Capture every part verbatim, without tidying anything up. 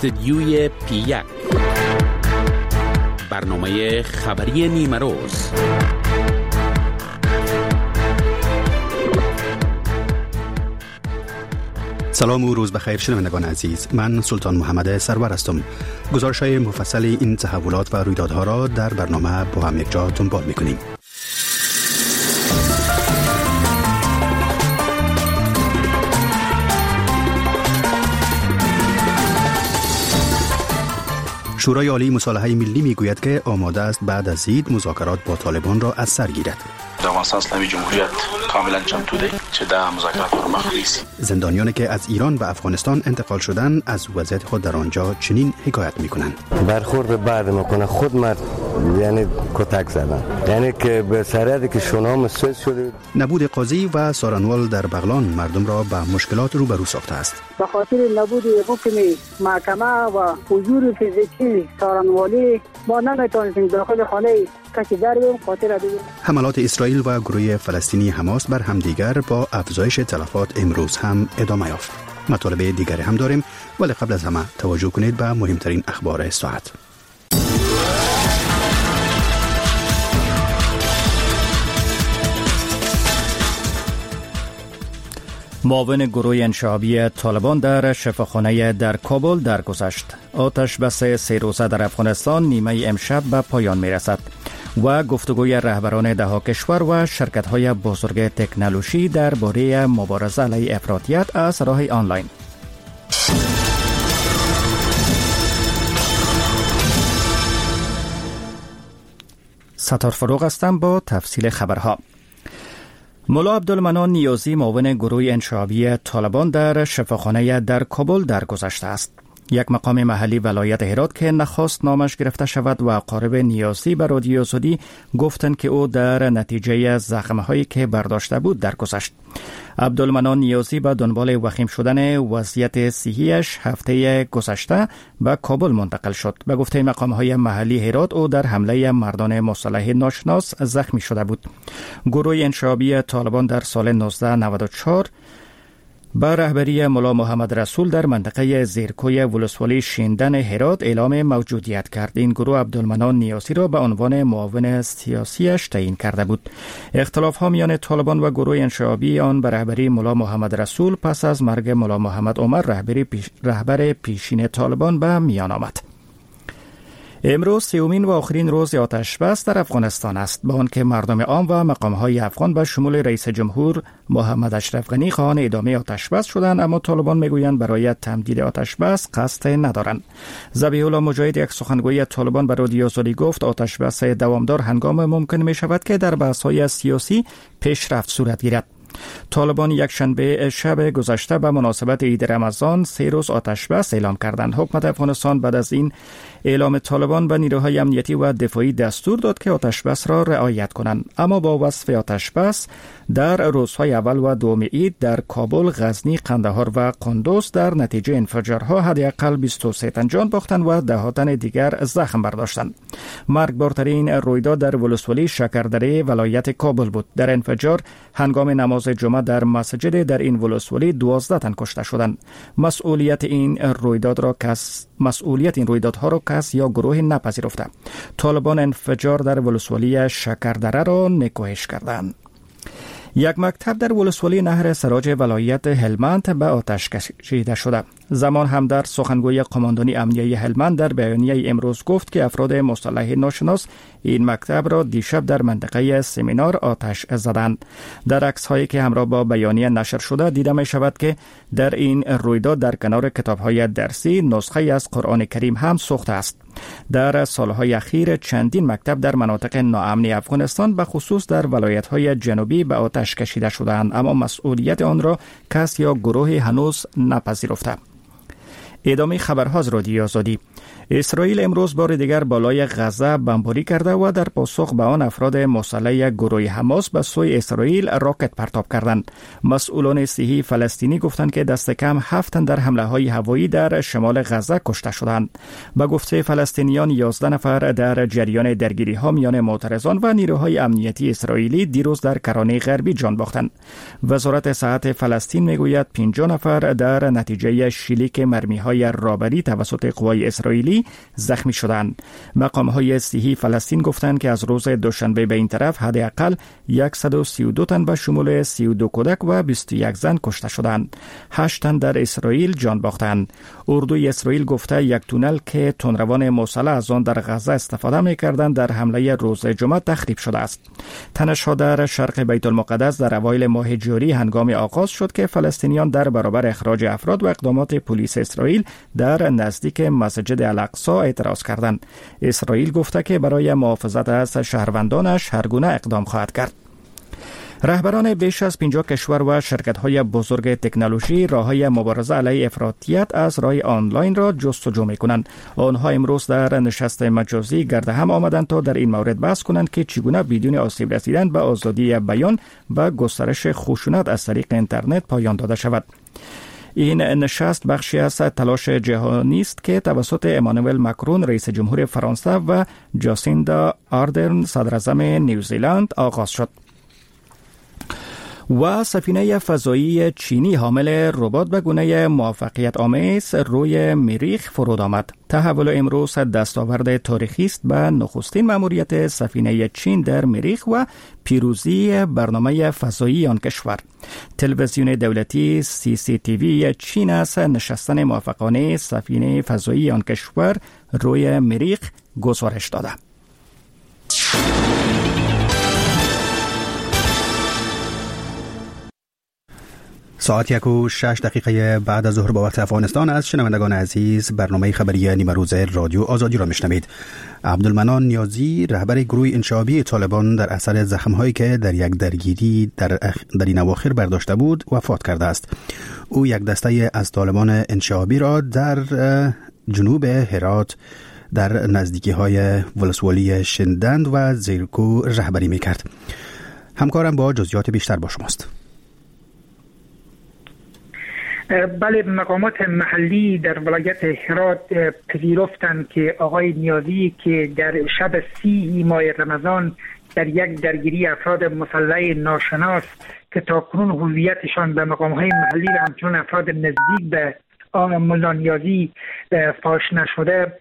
استودیوی پی یک، برنامه خبری نیمه روز. سلام و روز بخیر شنوندگان عزیز، من سلطان محمد سرور هستم. گزارش‌های مفصل این تحولات و رویدادها را در برنامه با هم یکجا دنبال می‌کنیم. شورای عالی مصالحه ملی میگوید که آماده است بعد از عید مذاکرات با طالبان را از سر گیرد. د افغانستان اسلامی جمهوریت کاملا چمتو دی چې دا مذاکرات پر مخ بیسي. زندانیانی که از ایران به افغانستان انتقال شدند از وضعیت خود در آنجا چنین حکایت میکنند. برخورد بعد میکنه خود مرد، یعنی کتک زدن، یعنی که به سرعتی که شونام سوز شده. نبود قاضی و سارنوال در بغلان مردم را به مشکلات روبرو ساخته است. به خاطر نبود حکم محکمه و حضور فیزیکی سارنوالی ما نمیتونیم داخل خانه کسی در بریم خاطر دیگه. حملات اسرائیل و گروه فلسطینی حماس بر همدیگر با افزایش تلفات امروز هم ادامه یافت. مطالب دیگری هم داریم، ولی قبل از همه توجه کنید به مهمترین اخبار ساعت. معاون گروه انشعابی طالبان در شفاخانه در کابل درگذشت. آتش بس سه روزه در افغانستان نیمه امشب به پایان میرسد و گفتگوی رهبران ده کشور و شرکت‌های بزرگ تکنولوژی درباره مبارزه علیه افراطیت از راه آنلاین. ستار فروغ هستم با تفصیل خبرها. ملا عبدالمنان نیازی معاون گروه انشعابی طالبان در شفاخانه در کابل درگذشته است. یک مقام محلی ولایت هرات که نخواست نامش گرفته شود و اقارب نیازی به رادیو آزادی گفتند که او در نتیجه زخم‌هایی که برداشته بود درگذشت. عبدالمنان نیازی به دنبال وخیم شدن وضعیت صحی‌اش هفته گذشته به کابل منتقل شد. به گفته مقام‌های محلی هرات او در حمله مردان مسلح ناشناس زخمی شده بود. گروه انشعابی طالبان در سال نوزده نود و چهار با رهبری ملا محمد رسول در منطقه زیرکوی ولسوالی شیندن هرات اعلام موجودیت کرد. این گروه عبدالمنان نیازی را به عنوان معاون سیاسیش تعیین کرده بود. اختلاف ها میان طالبان و گروه انشعابی آن به رهبری ملا محمد رسول پس از مرگ ملا محمد عمر رهبر پیش، رهبر پیشین طالبان به میان آمد. امروز سومین و آخرین روز آتش بس در افغانستان است. با آنکه مردم عام و مقام‌های افغان به شمول رئیس جمهور محمد اشرف غنی خواهان ادامه آتش بس شدند، اما طالبان میگویند برای تمدید آتش بس قصد ندارند. ذبیح الله مجاهد یک سخنگوی طالبان به رادیو آزادی گفت آتش بس دوامدار هنگام ممکن می شود که در بحث‌های سیاسی پیشرفت صورت گیرد. طالبان یک شنبه شب گذشته به مناسبت عید رمضان سه روز آتش بس اعلام کردند. حکومت افغانستان بعد از این اعلام طالبان به نیروهای امنیتی و دفاعی دستور داد که آتش بس را رعایت کنند، اما با وصف آتش بس در روزهای اول و دوم عید در کابل، غزنی، قندهار و قندوز در نتیجه انفجارها حداقل بیست و سه تن جان باختند و ده تن دیگر زخم برداشتند. مرگبارترین رویداد در ولسوالی شکردره ولایت کابل بود. در انفجار هنگام نماز جمعه در مسجد در این ولسوالی دوازده تن کشته شدند. مسئولیت این رویداد را کس مسئولیت این رویدادها را کس یا گروه نپذیرفته. طالبان انفجار در ولسوالی شکردره را نکوهش کردند. یک مکتب در ولسوالی نهر سراج ولایت هلمند به آتش کشیده شده. زمان هم در سخنگوی قماندانی امنیه هلمند در بیانیه امروز گفت که افراد مسلح ناشناس این مکتب را دیشب در منطقه سمینار آتش زدند. در عکس‌هایی که همراه با بیانیه نشر شده دیده می شود که در این رویداد در کنار کتاب‌های درسی نسخه از قرآن کریم هم سوخته است. در سالهای اخیر چندین مکتب در مناطق ناامن افغانستان به خصوص در ولایت‌های جنوبی به آتش کشیده شده‌اند، اما مسئولیت آن را کس یا گروه هنوز نپذیرفته. ادامه خبرها از رادیو آزادی. اسرائیل امروز بار دیگر بالای غزه بمباری کرده و در پاسخ به آن افراد مسلح گروه حماس به سوی اسرائیل راکت پرتاب کردند. مسئولان صحی فلسطینی گفتند که دست کم هفت تن در حمله های هوایی در شمال غزه کشته شدند. به گفته فلسطینیان یازده نفر در جریان درگیری ها میان معترضان و نیروهای امنیتی اسرائیلی دیروز در کرانه غربی جان باختند. وزارت صحت فلسطین میگوید پنجاه نفر در نتیجه شلیک مرمی های تیرهای رابری توسط قوای اسرائیلی زخمی شدند. مقام‌های صحی فلسطین گفتند که از روز دوشنبه به این طرف حداقل صد و سی و دو تن به شمول سی و دو کودک و بیست و یک زن کشته شدند. هشت تن در اسرائیل جان باختند. اردوی اسرائیل گفته یک تونل که تندروان مسلح از آن در غزه استفاده می‌کردند در حمله روز جمعه تخریب شده است. تنش‌ها در شرق بیت المقدس در اوایل ماه جاری هنگام آغاز شد که فلسطینیان در برابر اخراج افراد و اقدامات پلیس اسرائیل در نزدیک مسجد الاقصی اعتراض کردند. اسرائیل گفته که برای محافظت از شهروندانش هر گونه اقدام خواهد کرد. رهبران بیش از پنجاه کشور و شرکت‌های بزرگ تکنولوژی راه‌های مبارزه علیه افراطیت از راه آنلاین را جستجو می‌کنند. آنها امروز در نشست مجازی گرد هم آمدند تا در این مورد بحث کنند که چگونه بدون آسیب رسیدن به آزادی بیان و گسترش خشونت از طریق اینترنت پایان داده شود. این نشست بخشی از تلاش جهانی است که توسط امانوئل مکرون رئیس جمهور فرانسه و جاسیندا آردرن صدراعظم نیوزیلند آغاز شد. و سفینه فضایی چینی حامل ربات به گونه موفقیت آمیز روی مریخ فرود آمد. تحول امروز دستاورد تاریخی است به نخستین مأموریت سفینه چین در مریخ و پیروزی برنامه فضایی آن کشور. تلویزیون دولتی سی سی تی وی چین از نشستن موفقانه سفینه فضایی آن کشور روی مریخ گزارش داده. ساعت یک و شش دقیقه بعد از ظهر با وقت افغانستان از شنوندگان عزیز برنامه خبری نیمه روز رادیو آزادی را میشنوید. عبدالمنان نیازی رهبر گروه انشعابی طالبان در اثر زخم‌هایی که در یک درگیری در, اخ... در این اواخر برداشته بود وفات کرده است. او یک دسته از طالبان انشعابی را در جنوب هرات در نزدیکی‌های ولسوالی شندند و زیرکو رهبری میکرد. همکارم با جزئیات بیشتر با شماست. بله، مقامات محلی در ولایت هرات پذیرفتند که آقای نیازی که در شب سی ماه رمضان در یک درگیری افراد مسلح ناشناس که تاکنون هویتشان به مقام‌های محلی و همچنین افراد نزدیک به ملا نیازی فاش نشده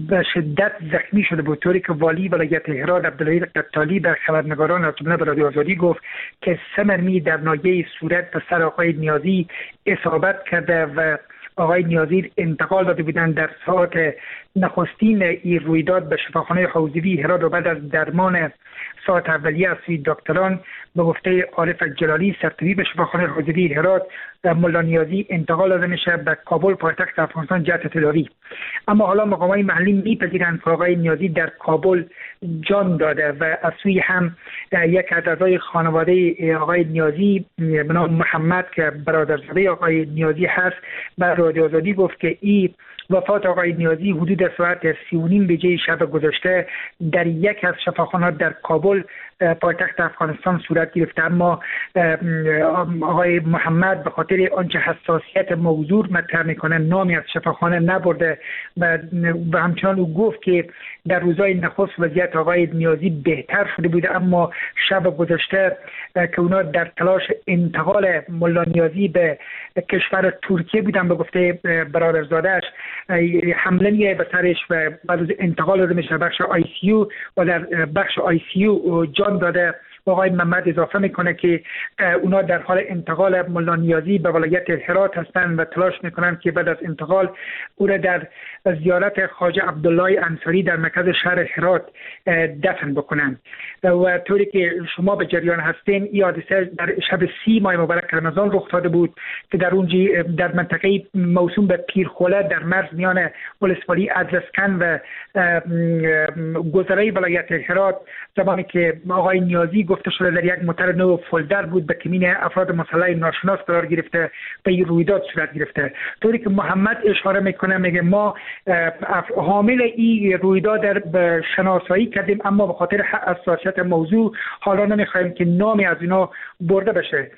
به شدت زخمی شده بود، طوری که والی ولایت هرات عبدالله قتالی به خبرنگاران از جمله رادیو آزادی گفت که سه مرمی در ناحیه صورت به سر آقای نیازی اصابت کرده و آقای نیازی انتقال داده بودند در ساعت نخستین این رویداد به شفاخانه حوزوی هرات و بعد از درمان ساعت اولیه از سوی دکتران به گفته عارف جلالی سرطبیب شفاخانه حوزوی هرات ملا نیازی انتقال داده میشه به کابل پایتخت افغانستان جهت تداوی. اما حالا مقامات محلی میپذیرند که آقای نیازی در کابل جان داده و از سوی هم یک از اعضای خانواده آقای نیازی به نام محمد که برادرزاده آقای نیازی هست به رادیو آزادی گفت که این وفات آقای نیازی حدود ساعت سی و نیم بجه شب گذشته در یک از شفاخانه‌ها در کابل پایتخت افغانستان صورت گرفته. اما آقای محمد به خاطر آنچه حساسیت موضوع مطرح میکنه نامی از شفاخانه نبرده و همچنان او گفت که در روزهای نخست وضعیت آقای نیازی بهتر شده بوده، اما شب گذشته که اونا در تلاش انتقال ملا نیازی به کشور ترکیه بودن به گفته برادرزاده‌اش حمله میه به سرش و بعد از انتقال داده میشه بخش آی سی یو و در بخش آی سی یو جان داده. آقای محمد اضافه میکنه که اونا در حال انتقال ملا نیازی به ولایت هرات هستند و تلاش میکنن که بعد از انتقال او را در زیارت خواجه عبدالله انصاری در مرکز شهر هرات دفن بکنن. و طوری که شما به جریان هستین این حادثه در شب سی ماه مبارک رمضان رخ داده بود که در اونجا در منطقه موسوم به پیرخوله در مرز میان ولسوالی ادرسکن و گذرای ولایت هرات زمانی که آقای نیازی گفته شده در یک موتر نو فولدر بود به کمین افراد مسلح ناشناس قرار گرفته و این رویداد صورت گرفته. طوری که محمد اشاره میکنه میگه ما حامل این رویداد در شناسایی کردیم، اما به خاطر حساسیت موضوع حالا نمیخوایم که نامی از اینا برده بشه.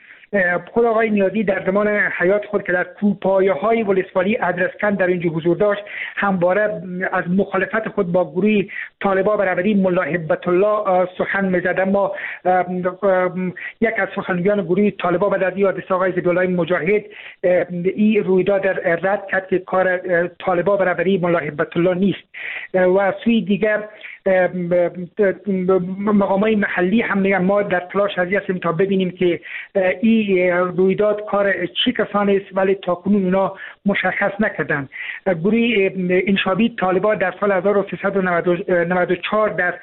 خود آقای نیازی در زمان حیات خود که در کوپایه‌های ولسوالی ادرسکن در اینجا حضور داشت، همواره از مخالفت خود با گروه طالبان به رهبری ملا هبت الله سخن می‌زد. اما یک از سخنگویان گروه طالبان بعد از این حادثه آقای ذبیح الله مجاهد این رویداد رد کرد که کار طالبان به رهبری ملا هبت الله نیست. و سوی دیگر مقامای محلی هم میگن ما در تلاش از هستیم تا ببینیم که این رویداد کار چه کسانی است، ولی تاکنون اونا مشخص نکردن. گروه انشابی طالبان در سال هزار و سیصد و نود و چهار در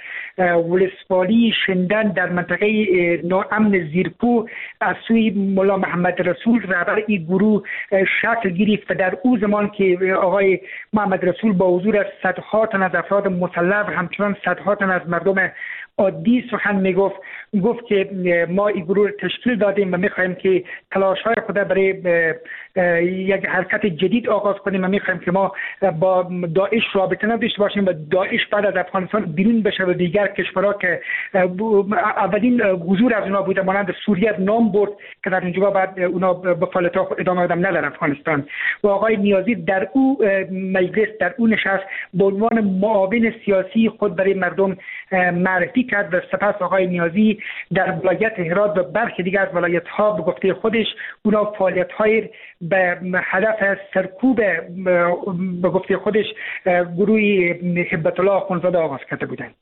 ولسوالی شندن در منطقه ناامن زیرکو از سوی ملا محمد رسول رهبر این گروه شکل گرفت و در او زمان که آقای محمد رسول با حضور صدها تن از افراد مسلح و همچنان صدها تن از مردم عادی سخن میگفت، گفت که ما این گروه تشکیل دادیم و میخواهیم که تلاش های خود برای یک حرکت جدید آغاز کنیم و میخواهیم که ما با داعش رابطه نداشته باشیم و داعش بعد از افغانستان بیرون بشه و دیگر کشورها که اولین حضور از اونا بوده مانند سوریه نام برد که در اینجا بعد اونا به فعالیت ها ادامه دادن نه در افغانستان. و آقای نیازی در او مجلس در او نشست به عنوان معاون سیاسی خود برای مردم معرفی کرد و سپس آقای نیازی در ولایت هرات و برخی دیگر از ولایت ها به گفته خودش اونا فعالیت های به هدف سرکوب به گفته خودش گروه هبت الله آخوندزاده آغاز کرده بودند.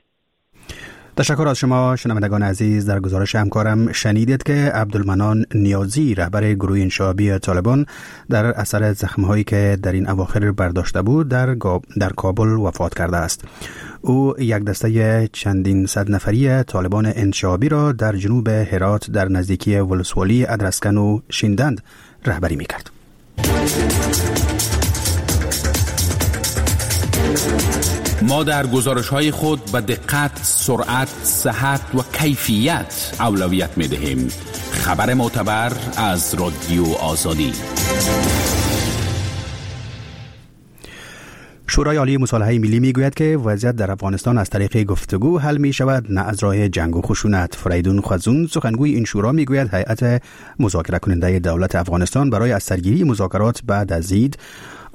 تشکر از شما شنوندگان عزیز. در گزارش همکارم شنیدید که عبدالمنان نیازی رهبر گروه انشعابی طالبان در اثر زخم‌هایی که در این اواخر برداشته بود در, در کابل وفات کرده است. او یک دسته چندین صد نفری طالبان انشعابی را در جنوب هرات در نزدیکی ولسوالی ادرسکن و شیندند رهبری می‌کرد. ما در گزارش‌های خود به دقت، سرعت، صحت و کیفیت اولویت می‌دهیم. خبر معتبر از رادیو آزادی. شورای عالی مصالحه ملی میگوید که وضعیت در افغانستان از طریق گفتگو حل می شود، نه از راه جنگ و خشونت. فریدون خوزون سخنگوی این شورا میگوید هیئت مذاکره کننده دولت افغانستان برای از سرگیری مذاکرات بعد از عید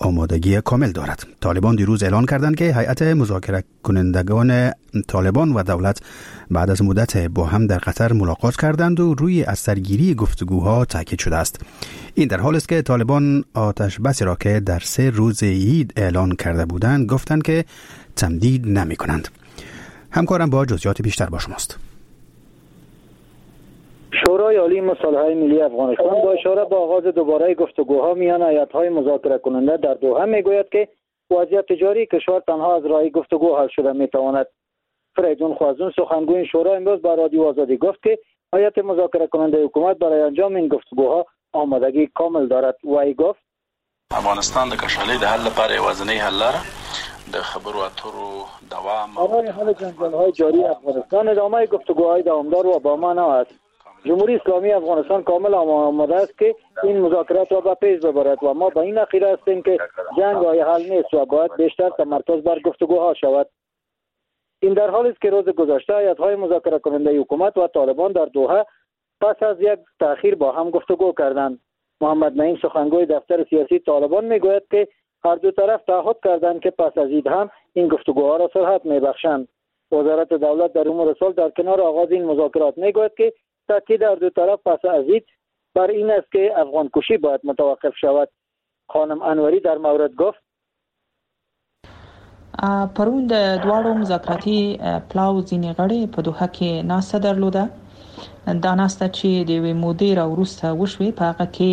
آمادگی کامل دارد. طالبان دیروز اعلان کردند که هیئت مذاکره کنندگان طالبان و دولت بعد از مدت با هم در قطر ملاقات کردند و روی از سرگیری گفتگوها تاکید شده است. این در حال است که طالبان آتش بسی را که در سه روز عید اعلان کرده بودند گفتند که تمدید نمی کنند. همکارم با جزئیات بیشتر با شماست. شورای عالی مصالحه ملی افغانستان با اشاره به آغاز دوباره گفتگوها میان هیئت‌های مذاکره کننده در دوحه میگوید که وضعیت جاری کشور تنها از راه گفتگو حل شده میتواند. فریدون خوازون سخنگوی شورا امروز با رادیو آزادی گفت که هیئت مذاکره کننده حکومت برای انجام این گفتگوها آمادگی کامل دارد. وی گفت افغانستان د کشالې د حل لپاره یوازینۍ حل لاره د خبرو اترو دوام. برای حل جنجال‌های جاری افغانستان ادامه گفتگوهای دوامدار و با معنا است. جمهوری اسلامی افغانستان کامل آماده است که این مذاکرات را به پیش ببرد و ما به این عقیده هستیم که جنگ راه حل نیست و باید بیشتر تمرکز بر گفتگوها شود. این در حالی است که روز گذشته هیئت‌های مذاکره کننده حکومت و طالبان در دوحه پس از یک تأخیر با هم گفتگو کردند. محمد نعیم سخنگوی دفتر سیاسی طالبان میگوید که هر دو طرف تعهد کردند که پس از عید هم این گفتگوها را سرعت میبخشند. وزارت دولت در امور صلح در کنار آغاز این مذاکرات میگوید که تاکید هر دو طرف پس از عید بر این است که افغان کشی باید متوقف شود. خانم انوری در مورد گفت: پرون د دواړو مذاکراتي پلاو ځینې غړي په دوحه کې ناسته درلوده. دا ناسته چې د یوې مودې را وروسته وشوې، په هغه کې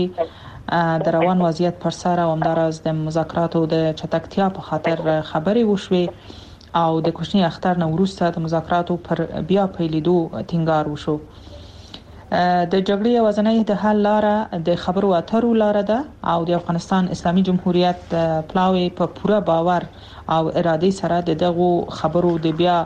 د روان وضعیت پر سر او همداراز د مذاکراتو د چټکتیا په خاطر خبرې وشوې او د کوچني اختر نه وروسته د مذاکراتو پر بیا پیلېدو ټینګار وشو. د جګړې یوازینۍ د حل لاره د خبرو اترو لاره ده او د افغانستان اسلامي جمهوریت پلاوی په پوره باور او ارادې سره د دغو خبرو د بیا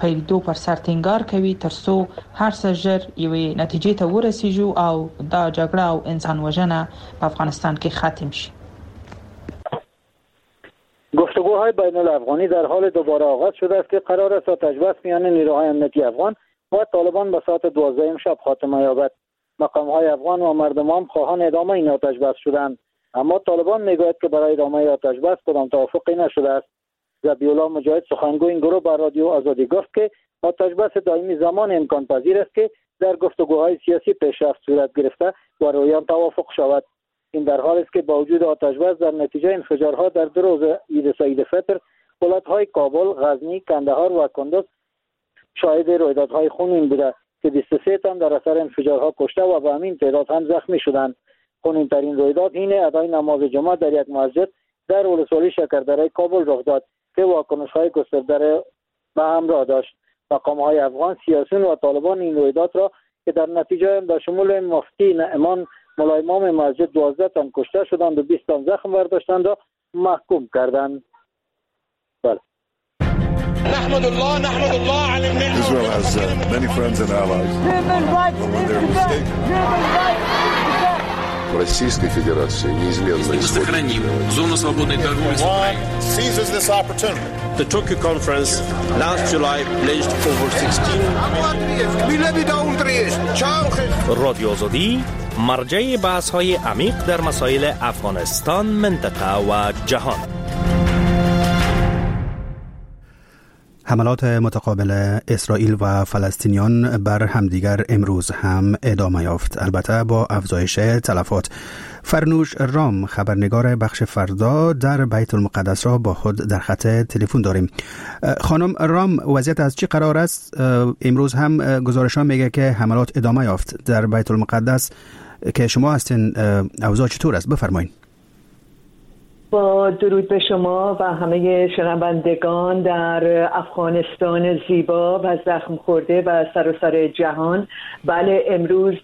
پیلېدو پر سر ټینګار کوي ترڅو هر څه ژر یوې نتیجې ته ورسیږو او دا جګړه او انسان وژنه په افغانستان کې ختم شي. گفتگوهای بین الافغانی در حال دوباره آغاز شده است که قرار است آتش بس میان نیروهای امنیتی افغان و طالبان به ساعت دوازده شب خاتمه یابد. مقام های افغان و مردمان خواهان ادامه این آتش بس شدند، اما طالبان میگوید که برای ادامه آتش بس کدام توافقی نشده است. ذبیح الله مجاهد سخنگوی این گروه بر رادیو آزادی گفت که آتش بس دائمی زمان امکان پذیر است که در گفتگوهای سیاسی پیشرفت صورت گرفته و روی آن توافق شود. این در حال است که با وجود آتش بس در نتیجه انفجارها در دو روز عید سعید فطر ولایت‌های کابل، غزنی، کندهار و کندز شاهد رویدادهای خونین بوده که بیست و سه تن در اثر انفجارها کشته و به همین تعداد هم زخمی شدند. خونین‌ترین رویداد حین ادای نماز جمعه در یک مسجد در ولسوالی شکردره کابل رخ داد که واکنش‌های گسترده به همراه داشت. مقام‌های افغان، سیاسیون و طالبان این رویداد را که در نتیجه به شمول مفتی نعمان ملا امام مسجد دوازده تن کشته شدند و بیست تن زخم برداشتند را محکوم کردند. بله. نحمد الله نحمد الله على النعمة. Israel has uh, many friends and allies. But when they're mistaken. Российской Федерации неизменно Мы сохраним зону свободной торговли с Украиной. Seizes this opportunity. The Tokyo conference last July pledged over sixteen. رادیو آزادی مرجع بحث‌های عمیق در مسائل افغانستان، منطقه و جهان. حملات متقابل اسرائیل و فلسطینیان بر همدیگر امروز هم ادامه یافت، البته با افزایش تلفات. فرنوش رام خبرنگار بخش فردا در بیت المقدس را با خود در خط تلفن داریم. خانم رام، وضعیت از چی قرار است؟ امروز هم گزارش ها میگه که حملات ادامه یافت در بیت المقدس که شما هستین، اوضاع چطور است؟ بفرمایید. با درود به شما و همه شنوندگان در افغانستان زیبا و زخم خورده و سراسر جهان. بله، امروز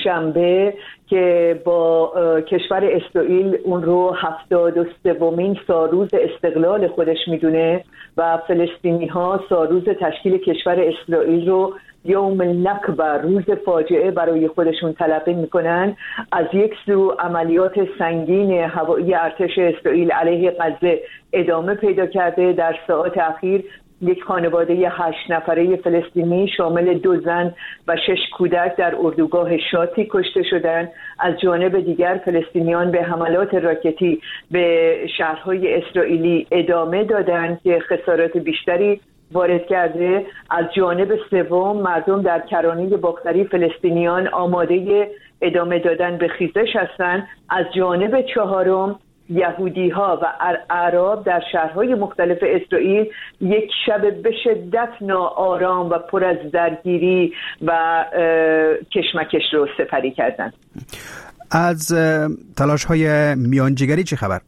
شنبه که با کشور اسرائیل اون رو هفتاد و سومین سالروز استقلال خودش میدونه و فلسطینی ها سالروز تشکیل کشور اسرائیل رو یوم النکبه، روز فاجعه برای خودشون تلقی میکنن. از یک سو عملیات سنگین هوایی ارتش اسرائیل علیه غزه ادامه پیدا کرده. در ساعات اخیر یک خانواده هشت نفره فلسطینی شامل دو زن و شش کودک در اردوگاه شاتی کشته شدند. از جانب دیگر فلسطینیان به حملات راکتی به شهرهای اسرائیلی ادامه دادند که خسارات بیشتری وارد کرده. از جانب سوم مردم در کرانه باختری فلسطینیان آماده ادامه دادن به خیزش هستند. از جانب چهارم یهودی ها و اعراب در شهرهای مختلف اسرائیل یک شب به شدت ناآرام و پر از درگیری و کشمکش رو سپری کردند. از تلاش های میانجیگری چه خبر؟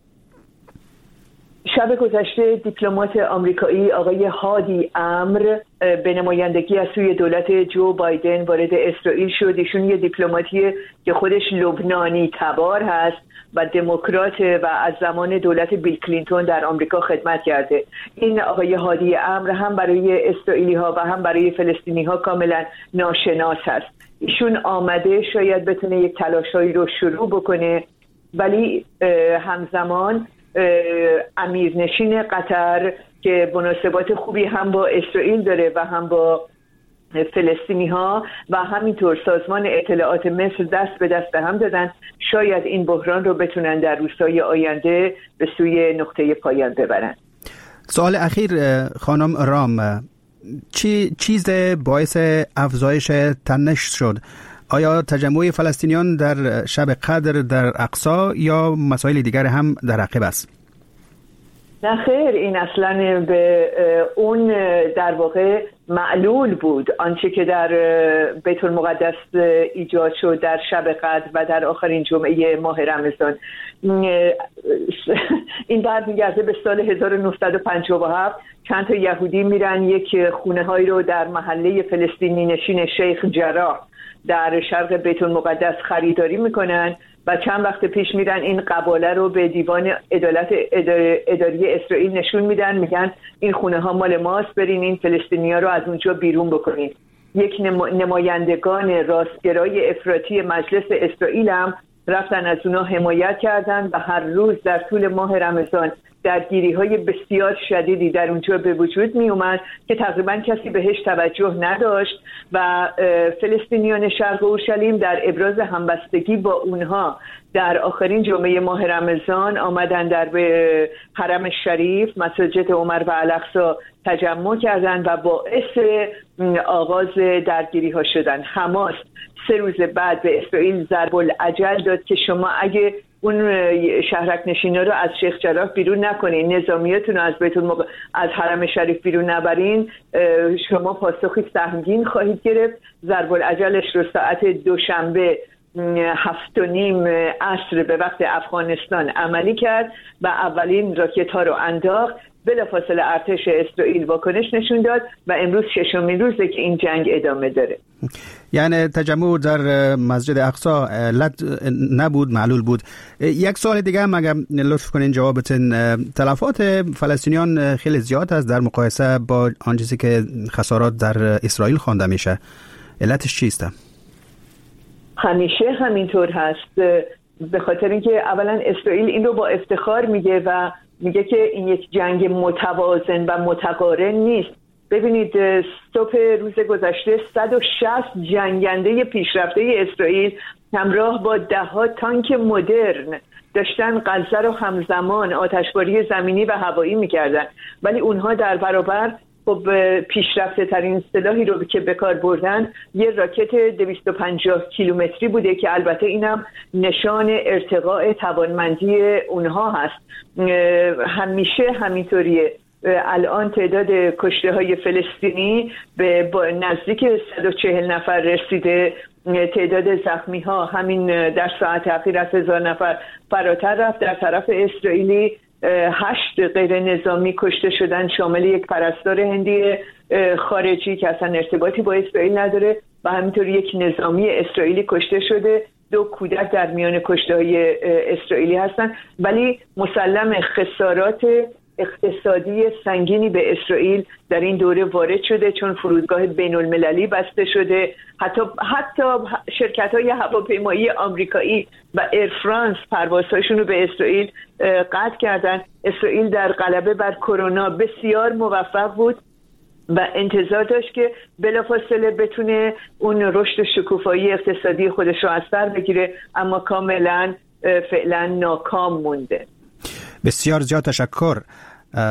شب گذشته دیپلمات آمریکایی آقای هادی امر به نمایندگی از سوی دولت جو بایدن وارد اسرائیل شد. ایشون یه دیپلماتیه که خودش لبنانی تبار هست و دموکرات و از زمان دولت بیل کلینتون در آمریکا خدمت کرده. این آقای هادی امر هم برای اسرائیلی ها و هم برای فلسطینی ها کاملا ناشناس هست. ایشون آمده شاید بتونه یک تلاشایی رو شروع بکنه، ولی همزمان امیرنشین قطر که مناسبات خوبی هم با اسرائیل داره و هم با فلسطینی ها و همینطور سازمان اطلاعات مصر دست به دست هم دادن، شاید این بحران رو بتونن در روزهای آینده به سوی نقطه پایان ببرن. سوال اخیر خانم رام، چی چیز باعث افزایش تنش شد؟ آیا تجمع فلسطینیان در شب قدر در اقصا یا مسائل دیگر هم در عقب است؟ نه خیر، این اصلا به اون در واقع معلول بود. آنچه که در بیت المقدس ایجاد شد در شب قدر و در آخرین جمعه ماه رمضان، این برمیگرده به سال هزار و نهصد و پنجاه و هفت. چند تا یهودی میرن یک خونه هایی رو در محله فلسطینی نشین شیخ جراح در شرق بیت المقدس خریداری میکنن و چند وقت پیش میرن این قباله رو به دیوان عدالت اداری اسرائیل نشون میدن، میگن این خونه ها مال ماست، برین این فلسطینیا رو از اونجا بیرون بکنین. یک نمایندگان راستگرای افراطی مجلس اسرائیل هم رفتن از اونا حمایت کردن و هر روز در طول ماه رمضان درگیری های بسیار شدیدی در اونجا به وجود می اومد که تقریبا کسی بهش توجه نداشت و فلسطینیان شرق اورشلیم در ابراز همبستگی با اونها در آخرین جمعه ماه رمضان آمدن در حرم شریف، مسجد عمر و الاقصی تجمع کردند و باعث آغاز درگیری ها شدن. حماس سه روز بعد به اسرائیل ضرب الاجل داد که شما اگه اون شهرک نشینا رو از شیخ جراح بیرون نکنین، نظامیاتون رو از بیت المق... از حرم شریف بیرون نبرین، شما پاسخی سهمگین خواهید گرفت. ضرب الاجلش رو ساعت دوشنبه هفت و نیم عصر به وقت افغانستان عملی کرد و اولین راکت ها رو انداخت. بلافاصله ارتش اسرائیل واکنش نشون داد و امروز ششمین روزه که این جنگ ادامه داره. یعنی تجمع در مسجد اقصی علت نبود، معلول بود. یک سوال دیگه هم اگر لطف کنین جوابتون، تلفات فلسطینیان خیلی زیاد است در مقایسه با آن چیزی که خسارات در اسرائیل خوانده میشه، علتش چیست؟ همیشه همینطور هست، به خاطر اینکه اولا اسرائیل این رو با افتخار میگه و میگه که این یک جنگ متوازن و متقارن نیست. ببینید صبح روز گذشته صد و شصت جنگنده پیشرفته اسرائیل همراه با ده ها تانک مدرن داشتن غزه رو همزمان آتشباری زمینی و هوایی میکردن، ولی اونها در برابر خب پیشرفته ترین سلاحی رو که به کار بردن یه راکت دویست و پنجاه کیلومتری بوده که البته اینم نشان ارتقاء توانمندی اونها هست. همیشه همینطوریه. الان تعداد کشته های فلسطینی به نزدیک صد و چهل نفر رسیده، تعداد زخمی ها همین در ساعت اخیر از هزار نفر فراتر رفت. در طرف اسرائیلی هشت غیر نظامی کشته شدن، شامل یک پرستار هندی خارجی که اصلا ارتباطی با اسرائیل نداره و همینطور یک نظامی اسرائیلی کشته شده، دو کودک در میان کشته های اسرائیلی هستن. ولی مسلم خسارات اقتصادی سنگینی به اسرائیل در این دوره وارد شده، چون فرودگاه بین المللی بسته شده، حتی حتی شرکت‌های هواپیمایی آمریکایی و ایر فرانس پروازهاشون رو به اسرائیل قطع کردن. اسرائیل در غلبه بر کرونا بسیار موفق بود و انتظار داشت که بلافاصله بتونه اون رشد شکوفایی اقتصادی خودش رو از سر بگیره، اما کاملا فعلا ناکام مونده. بسیار زیاد تشکر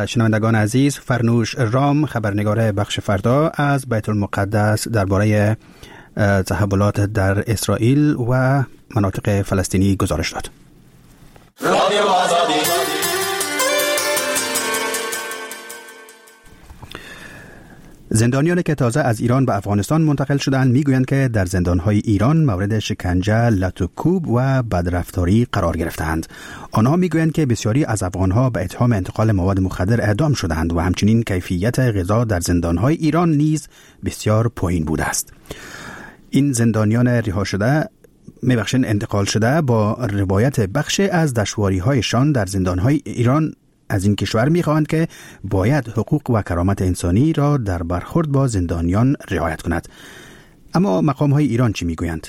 شنوندگان عزیز. فرنوش رام، خبرنگار بخش فردا از بیت المقدس، درباره تحولات در اسرائیل و مناطق فلسطینی گزارش داد. زندانیانی که تازه از ایران به افغانستان منتقل شدند میگویند که در زندان‌های ایران مورد شکنجه، لت و کوب و بدرفتاری قرار گرفتند. آنها میگویند که بسیاری از افغانها به اتهام انتقال مواد مخدر اعدام شدند و همچنین کیفیت غذا در زندان‌های ایران نیز بسیار پایین بوده است. این زندانیان رها شده میبخشین انتقال شده با روایت بخش از دشواری‌هایشان در زندان‌های ایران از این کشور میخواهند که باید حقوق و کرامت انسانی را در برخورد با زندانیان رعایت کند. اما مقام های ایران چی میگویند؟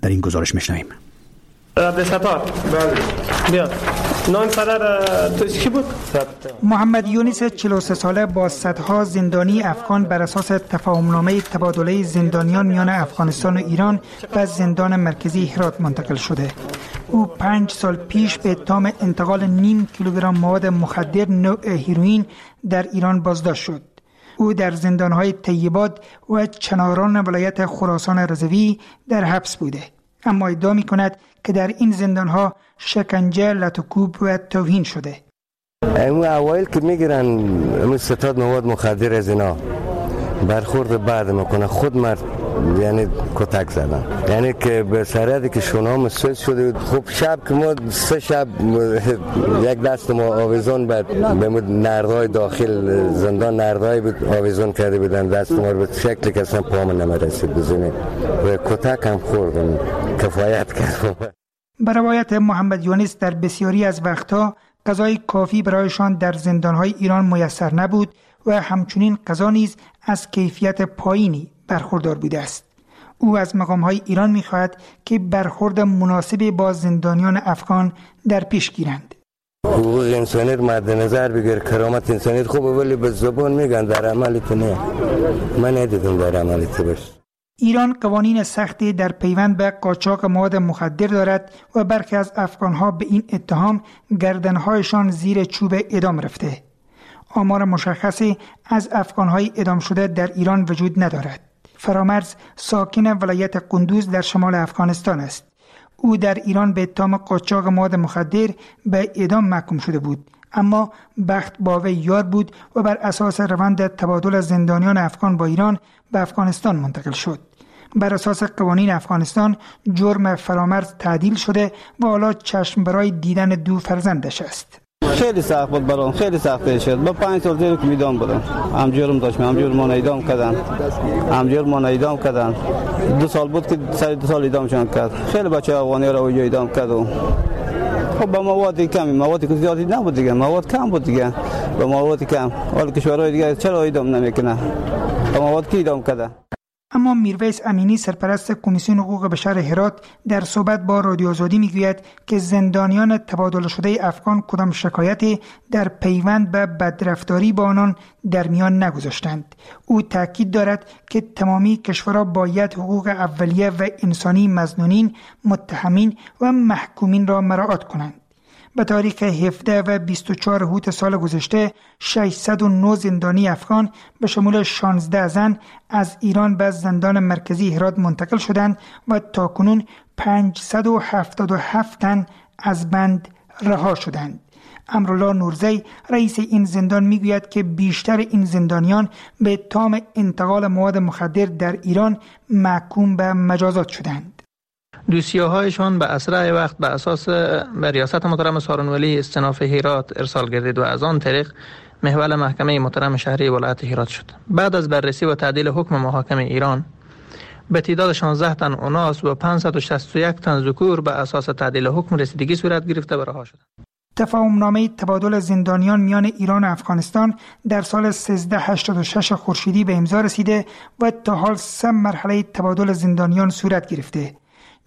در این گزارش میشنویم. عبدالستار بله نام پدر تو کی بود؟ محمد یونس چهل و سه ساله با صدها زندانی افغان بر اساس تفاهمنامه تبادله زندانیان میان افغانستان و ایران به زندان مرکزی هرات منتقل شده. او پنج سال پیش به اتهام انتقال نیم کیلوگرم مواد مخدر نوع هیروئین در ایران بازداشت شد. او در زندان‌های طیبات و چناران ولایت خراسان رضوی در حبس بوده، اما ادعا می‌کند که در این زندان‌ها شکنجه، لت و کوب و توهین شده. امو اوایل که میگیرن امو ستاد مواد مخدر از اینا برخورد بعد میکنه، خود مرد یعنی کتک زدن، یعنی که به سرحدی که شونام سوز شده بود. خب شب که ما سه شب یک دست ما آویزون بعد به نردهای داخل زندان نردهای بود آویزون کرده بودن دست ما رو به شکلی که اصلا پامون نمیرسید بزنیم و کتک هم خوردم، کفایت کرد. به روایت محمد یونس در بسیاری از وقتها غذای کافی برایشان در زندانهای ایران میسر نبود و همچنین غذا نیز از کیفیت پایینی برخوردار بوده است. او از مقام‌های ایران می‌خواهد که برخورد مناسبی با زندانیان افغان در پیش گیرند. حقوق انسانی رو مد نظر بگیر، کرامت انسانی خوبه، ولی به زبان میگن در عمل تو نه. من ندیدم در عمل تو باشه. ایران قوانین سختی در پیوند به قاچاق مواد مخدر دارد و برخی از افغانها به این اتهام گردنهایشان زیر چوب اعدام رفته. آمار مشخصی از افغانهای اعدام شده در ایران وجود ندارد. فرامرز ساکن ولایت قندوز در شمال افغانستان است. او در ایران به اتهام قاچاق مواد مخدر به اعدام محکوم شده بود، اما بخت با وی یار بود و بر اساس روند تبادل زندانیان افغان با ایران به افغانستان منتقل شد. بر اساس قوانین افغانستان جرم فرامرز تعدیل شده و حالا چشم برای دیدن دو فرزندش است. خیلی سخت بود برام، خیلی سخت شد. با پنج سال زیر اعدام بودم. هم جرم داشتم، هم جرم من اعدام کردن. هم جرم من اعدام کردن. دو سال بود که سر دو سال اعدامشان کرد. خیلی بچه افغانی را اونجا اعدام کرد. خب با مواد کمی، مواد که زیادی نبود دیگه، مواد کم بود دیگه. با مواد کم. حال کشورهای دیگه چرا اعدام نمیکنه؟ با مواد کی اعدام کرده؟ اما میرویس امینی سرپرست کمیسیون حقوق بشر هرات در صحبت با رادیو آزادی میگوید که زندانیان تبادل شده افغان کدام شکایتی در پیوند به بدرفتاری با آنان در میان نگذاشتند. او تاکید دارد که تمامی کشورها باید حقوق اولیه و انسانی مظنونین، متهمین و محکومین را مراعات کنند. به تاریخ هفده و بیست و چهار اوت سال گذشته ششصد و نه زندانی افغان به شمول شانزده زن از ایران به زندان مرکزی هرات منتقل شدند و تاکنون پانصد و هفتاد و هفت تن از بند رها شدند. امرالله نورزی رئیس این زندان میگوید که بیشتر این زندانیان به اتهام انتقال مواد مخدر در ایران محکوم به مجازات شدند. دوسیه هایشان به اسرع وقت به اساس به ریاست محترم سارنوالی استیناف هرات ارسال گردید و از آن طریق محول محکمه محترم شهری ولایت هرات شد. بعد از بررسی و تعدیل حکم محاکمه ایران به تعداد شانزده تن اناث و پانصد و شصت و یک تن ذکور به اساس تعدیل حکم رسیدگی صورت گرفته و رها شدند. تفاهم‌نامه تبادل زندانیان میان ایران و افغانستان در سال سیزده هشتاد و شش خورشیدی به امضا رسیده و تا حال سه مرحله تبادل زندانیان صورت گرفته.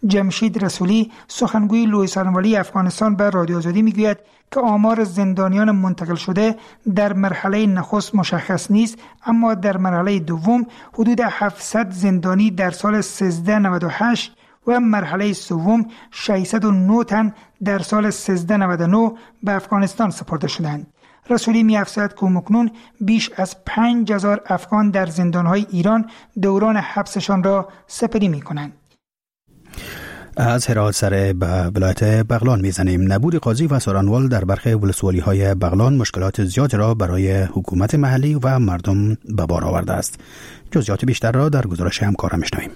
جمشید رسولی سخنگوی لوی سارنوالی افغانستان به رادیو آزادی میگوید که آمار زندانیان منتقل شده در مرحله نخست مشخص نیست، اما در مرحله دوم حدود هفتصد زندانی در سال سیزده نود و هشت و مرحله سوم ششصد و نه تن در سال سیزده نود و نه به افغانستان سپرده شدند. رسولی می‌افزاید که مکنون بیش از پنج هزار افغان در زندان‌های ایران دوران حبسشان را سپری می‌کنند. از هرات سر به ولایت بغلان میزنیم. نبود قاضی و سارنوال در برخی ولسوالی‌های بغلان مشکلات زیاد را برای حکومت محلی و مردم به بار آورده است. جزئیات بیشتر را در گزارش همکارم میشنویم.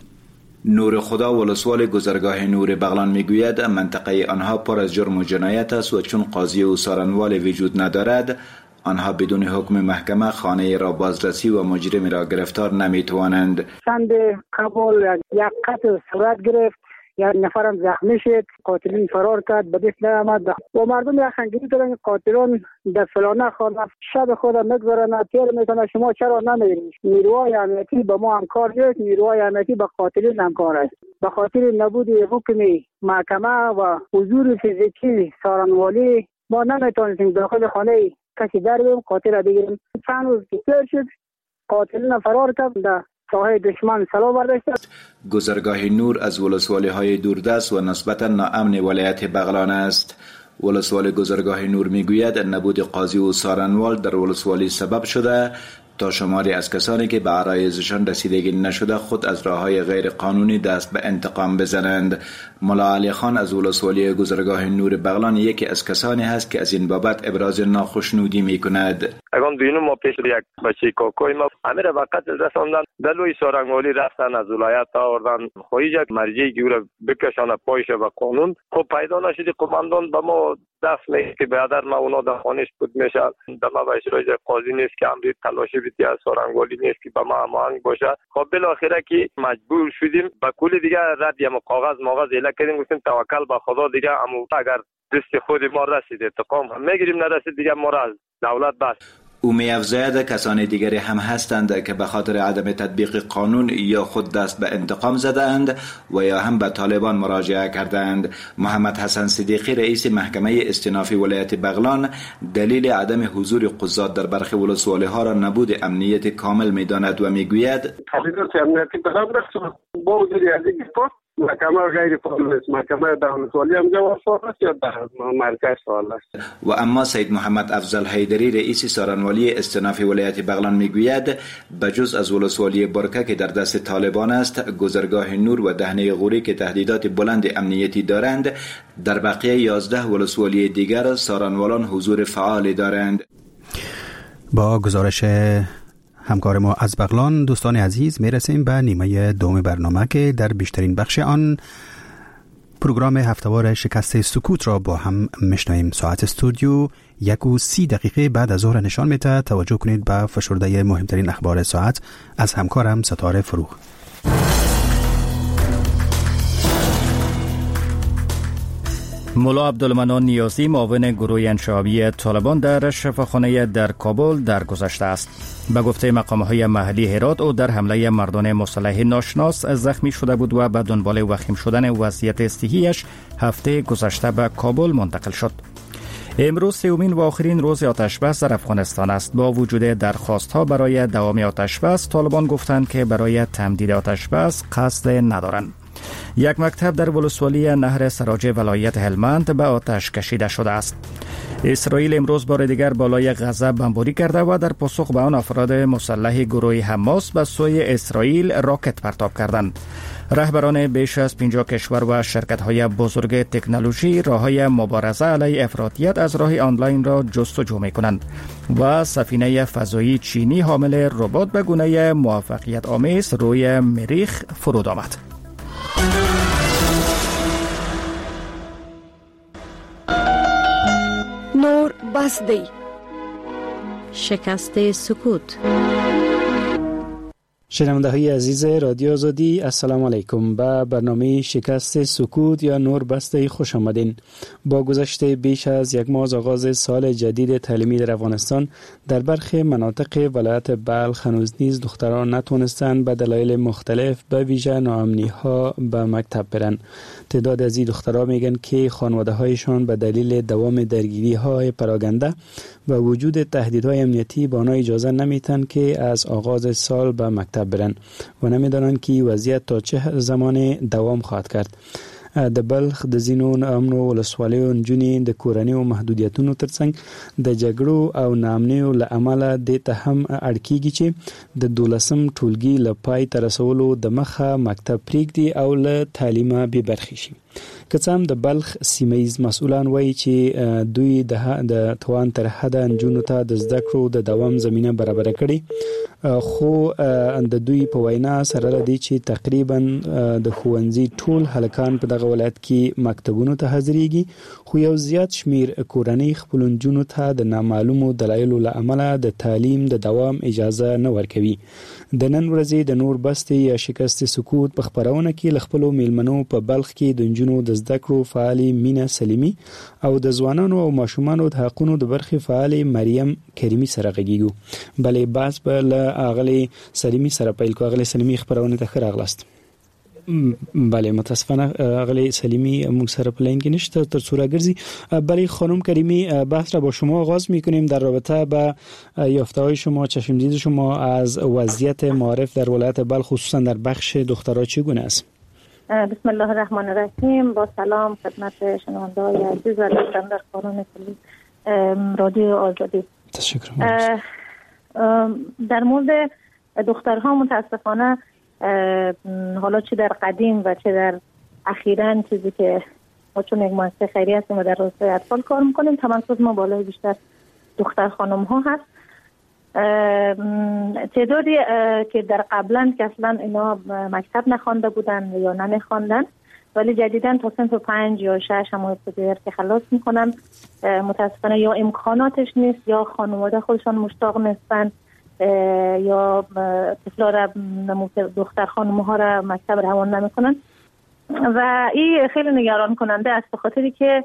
نور خدا ولسوال گذرگاه نور بغلان میگوید منطقه آنها پر از جرم و جنایت است و چون قاضی و سارنوال وجود ندارد آنها بدون حکم محکمه خانه را بازرسی و مجرم را گرفتار نمیتوانند. چند قبل یک قتل صورت گرفت، یک نفرم زخمی شد، قاتلین فرار کرد، به دست نیامد و مردم یک خنگیری دارن قاتلان در فلانه خانه شب خود میگذارن، تیر میکنه، شما چرا نمیرید؟ نیروهای امنیتی به ما همکار نیست، نیروهای امنیتی به قاتلین همکار است. به خاطر نبود حکم محکمه و حضور فیزیکی سارنوالی ما نمیتونستیم داخل خانه کسی در بریم قاتل را بگیریم. چند روز که تیر شد قاتلین فرار کرد، ساحه دشمن سلا برداشت. گذرگاه نور از ولسوالی‌های دوردست و نسبتاً ناامن ولایت بغلان است. ولسوال گذرگاه نور میگوید نبود قاضی و سارنوال در ولسوالی سبب شده تا شماری از کسانی که به عرایضشان رسیدگی نشده خود از راه‌های غیر قانونی دست به انتقام بزنند. ملا علی خان از ولسوالی گذرگاه نور بغلان یکی از کسانی هست که از این بابت ابراز ناخشنودی می‌کند. اگم دوینم ما پیش یک بچه کاکوی ما امیر به قتل رساندن، دلوی سارنگوالی رفتن از ولایت آوردن، خواهی یک مرجع گیره بکشانه پایش به قانون. خب پیدا نشدی قماندان به ما دست میگه که برادر ما اونا در خانهش بود میشه در ما به قاضی نیست که امری تلاشی بیتی از سارنگوالی نیست که به ما هماهنگ باشه. خب بالاخره که مجبور شدیم به کل دیگه رد یم کاغذ ماغذ اله کردیم، گفتیم توکل به خدا دیگه، امو اگر دست خود ما رسید انتقام هم میگیریم، نرسید دیگه ما را از دولت بس. او می‌افزاید کسان دیگری هم هستند که به خاطر عدم تطبیق قانون یا خود دست به انتقام زدند و یا هم به طالبان مراجعه کردند. محمد حسن صدیقی رئیس محکمه استیناف ولایت بغلان دلیل عدم حضور قضات در برخی ولسوالی‌ها را نبود امنیت کامل می‌داند و می‌گوید تهدیدات امنیتی بلند است، با وجود از این محکمه غیر فعال است، محکمه ولسوالی هم جواب فعال است یا در مرکز فعال است. و اما سید محمد افضل حیدری رئیس سارنوالی استیناف ولایت بغلان میگوید بجز از ولسوالی برکه که در دست طالبان است، گذرگاه نور و دهنه غوری که تهدیدات بلند امنیتی دارند، در بقیه یازده ولسوالی دیگر سارنوالان حضور فعال دارند. با گزارش همکار ما از بغلان، دوستان عزیز میرسیم به نیمه دوم برنامه که در بیشترین بخش آن پروگرام هفته‌وار شکست سکوت را با هم میشنویم. ساعت استودیو یک و سی دقیقه بعد از ظهر نشان میده. توجه کنید به فشرده مهمترین اخبار ساعت از همکارم ستاره فروغ. ملا عبدالمنان نیازی معاون گروه انشعابی طالبان در شفاخانه در کابل درگذشته است. به گفته مقام‌های محلی هرات، او در حمله مردان مسلح ناشناس زخمی شده بود و به دنبال وخیم شدن وضعیت صحی‌اش هفته گذشته به کابل منتقل شد. امروز سومین و آخرین روز آتش‌بس در افغانستان است. با وجود درخواست‌ها برای دوام آتش‌بس، طالبان گفتند که برای تمدید آتش‌بس قصد ندارند. یک مکتب در ولسوالی نهر سراج ولایت هلمند به آتش کشیده شده است. اسرائیل امروز بار دیگر بالای غزه بمباری کرده و در پاسخ به آن افراد مسلح گروه حماس به سوی اسرائیل راکت پرتاب کردند. رهبران بیش از پنجاه کشور و شرکت‌های بزرگ تکنولوژی راه‌های مبارزه علیه افراطیت از راه آنلاین را جستجو می‌کنند و سفینه فضایی چینی حامل ربات به گونه موفقیت آمیز روی مریخ فرود آمد. نور بس دی. شکست سکوت. شنونده های عزیز رادیو آزادی، السلام علیکم. به برنامه شکست سکوت یا نور بسته خوش آمدین. با گذشت بیش از یک ماه از آغاز سال جدید تعلیمی در افغانستان، در برخی مناطق ولایت بلخ هنوز نیز دختران نتوانستند به دلایل مختلف به ویژه ناامنی ها به مکتب برن. تعداد از این دختران میگن که خانواده هایشان به دلیل دوام درگیری های پراگنده و وجود تهدیدهای امنیتی به آنها اجازه نمیتن که از آغاز سال به مکتب برن و نمیدانند که وضعیت تا چه زمان دوام خواهد کرد. د بلخ د ځینو ناامنو ولسوالیو نجونې د کورنیو محدودیتونو ترڅنګ د جګړو او ناامنیو له امله دې ته هم اړ کیږي چې د دولسم ټولګي له پای ته رسولو د مخه مکتب پرېږدي او له تعلیمه بې برخې شي. که څه هم د بلخ سیمه ییز مسؤلان وایي چې دوی د توان تر حده نجونو ته د زده کړو د دوام زمینه برابره کړې، خو د دوی په وینا سره له دې چې تقریبا د ښوونځي ټول هلکان په دغه ولایت کې مکتبونو ته حاضرېږي، خو یو زیات شمیر کورنۍ خپلو نجونو ته د نامعلومو دلایلو له امله د تعلیم د دوام اجازه نه ورکوي. د نن ورځې د نور بستې یا شکست سکوت په خپرونه کې له خپلو میلمنو په بلخ کې د نجونو د زده کړو فعالې مینه سلیمي او د ځوانانو او ماشومانو د حقونو د برخې فعالې مریم کریمي سره غږیږو. بلې بحث به له اغلې سلیمي سره پیل کو. اغلې سلیمي، خپرونې ته ښه راغلاست. بله، متاسفانه اغلی سلیمی موږ سره په لاین کې نشته تر څو راګرځي. بله خانم کریمی، بحث را با شما آغاز میکنیم در رابطه با یافته‌های شما، چشمدید شما از وضعیت معارف در ولایت بلخ، خصوصا در بخش دخترها چگونه است؟ بسم الله الرحمن الرحیم. با سلام خدمت شنونده‌های عزیز و دوستان در کانون رادیو آزادی. تشکر. در مورد دخترها متاسفانه حالا چه در قدیم و چه در اخیراً، چیزی که ما چون یک مؤسسه خیریه هستیم و در راستای اطفال کار میکنیم، تمرکز ما بالای بیشتر دختر خانم ها هست. تعدادی که در قبلا که اصلا اینا مکتب نخوانده بودن یا نمیخواندن، ولی جدیداً تا صنف پنج یا شش هم ابتدایی که خلاص میکنن، متاسفانه یا امکاناتش نیست یا خانواده خودشان مشتاق نیستن یا طفلا را، دختر خانم ها را مکتب روان نمیکنن و این خیلی نگران کننده است، به خاطری که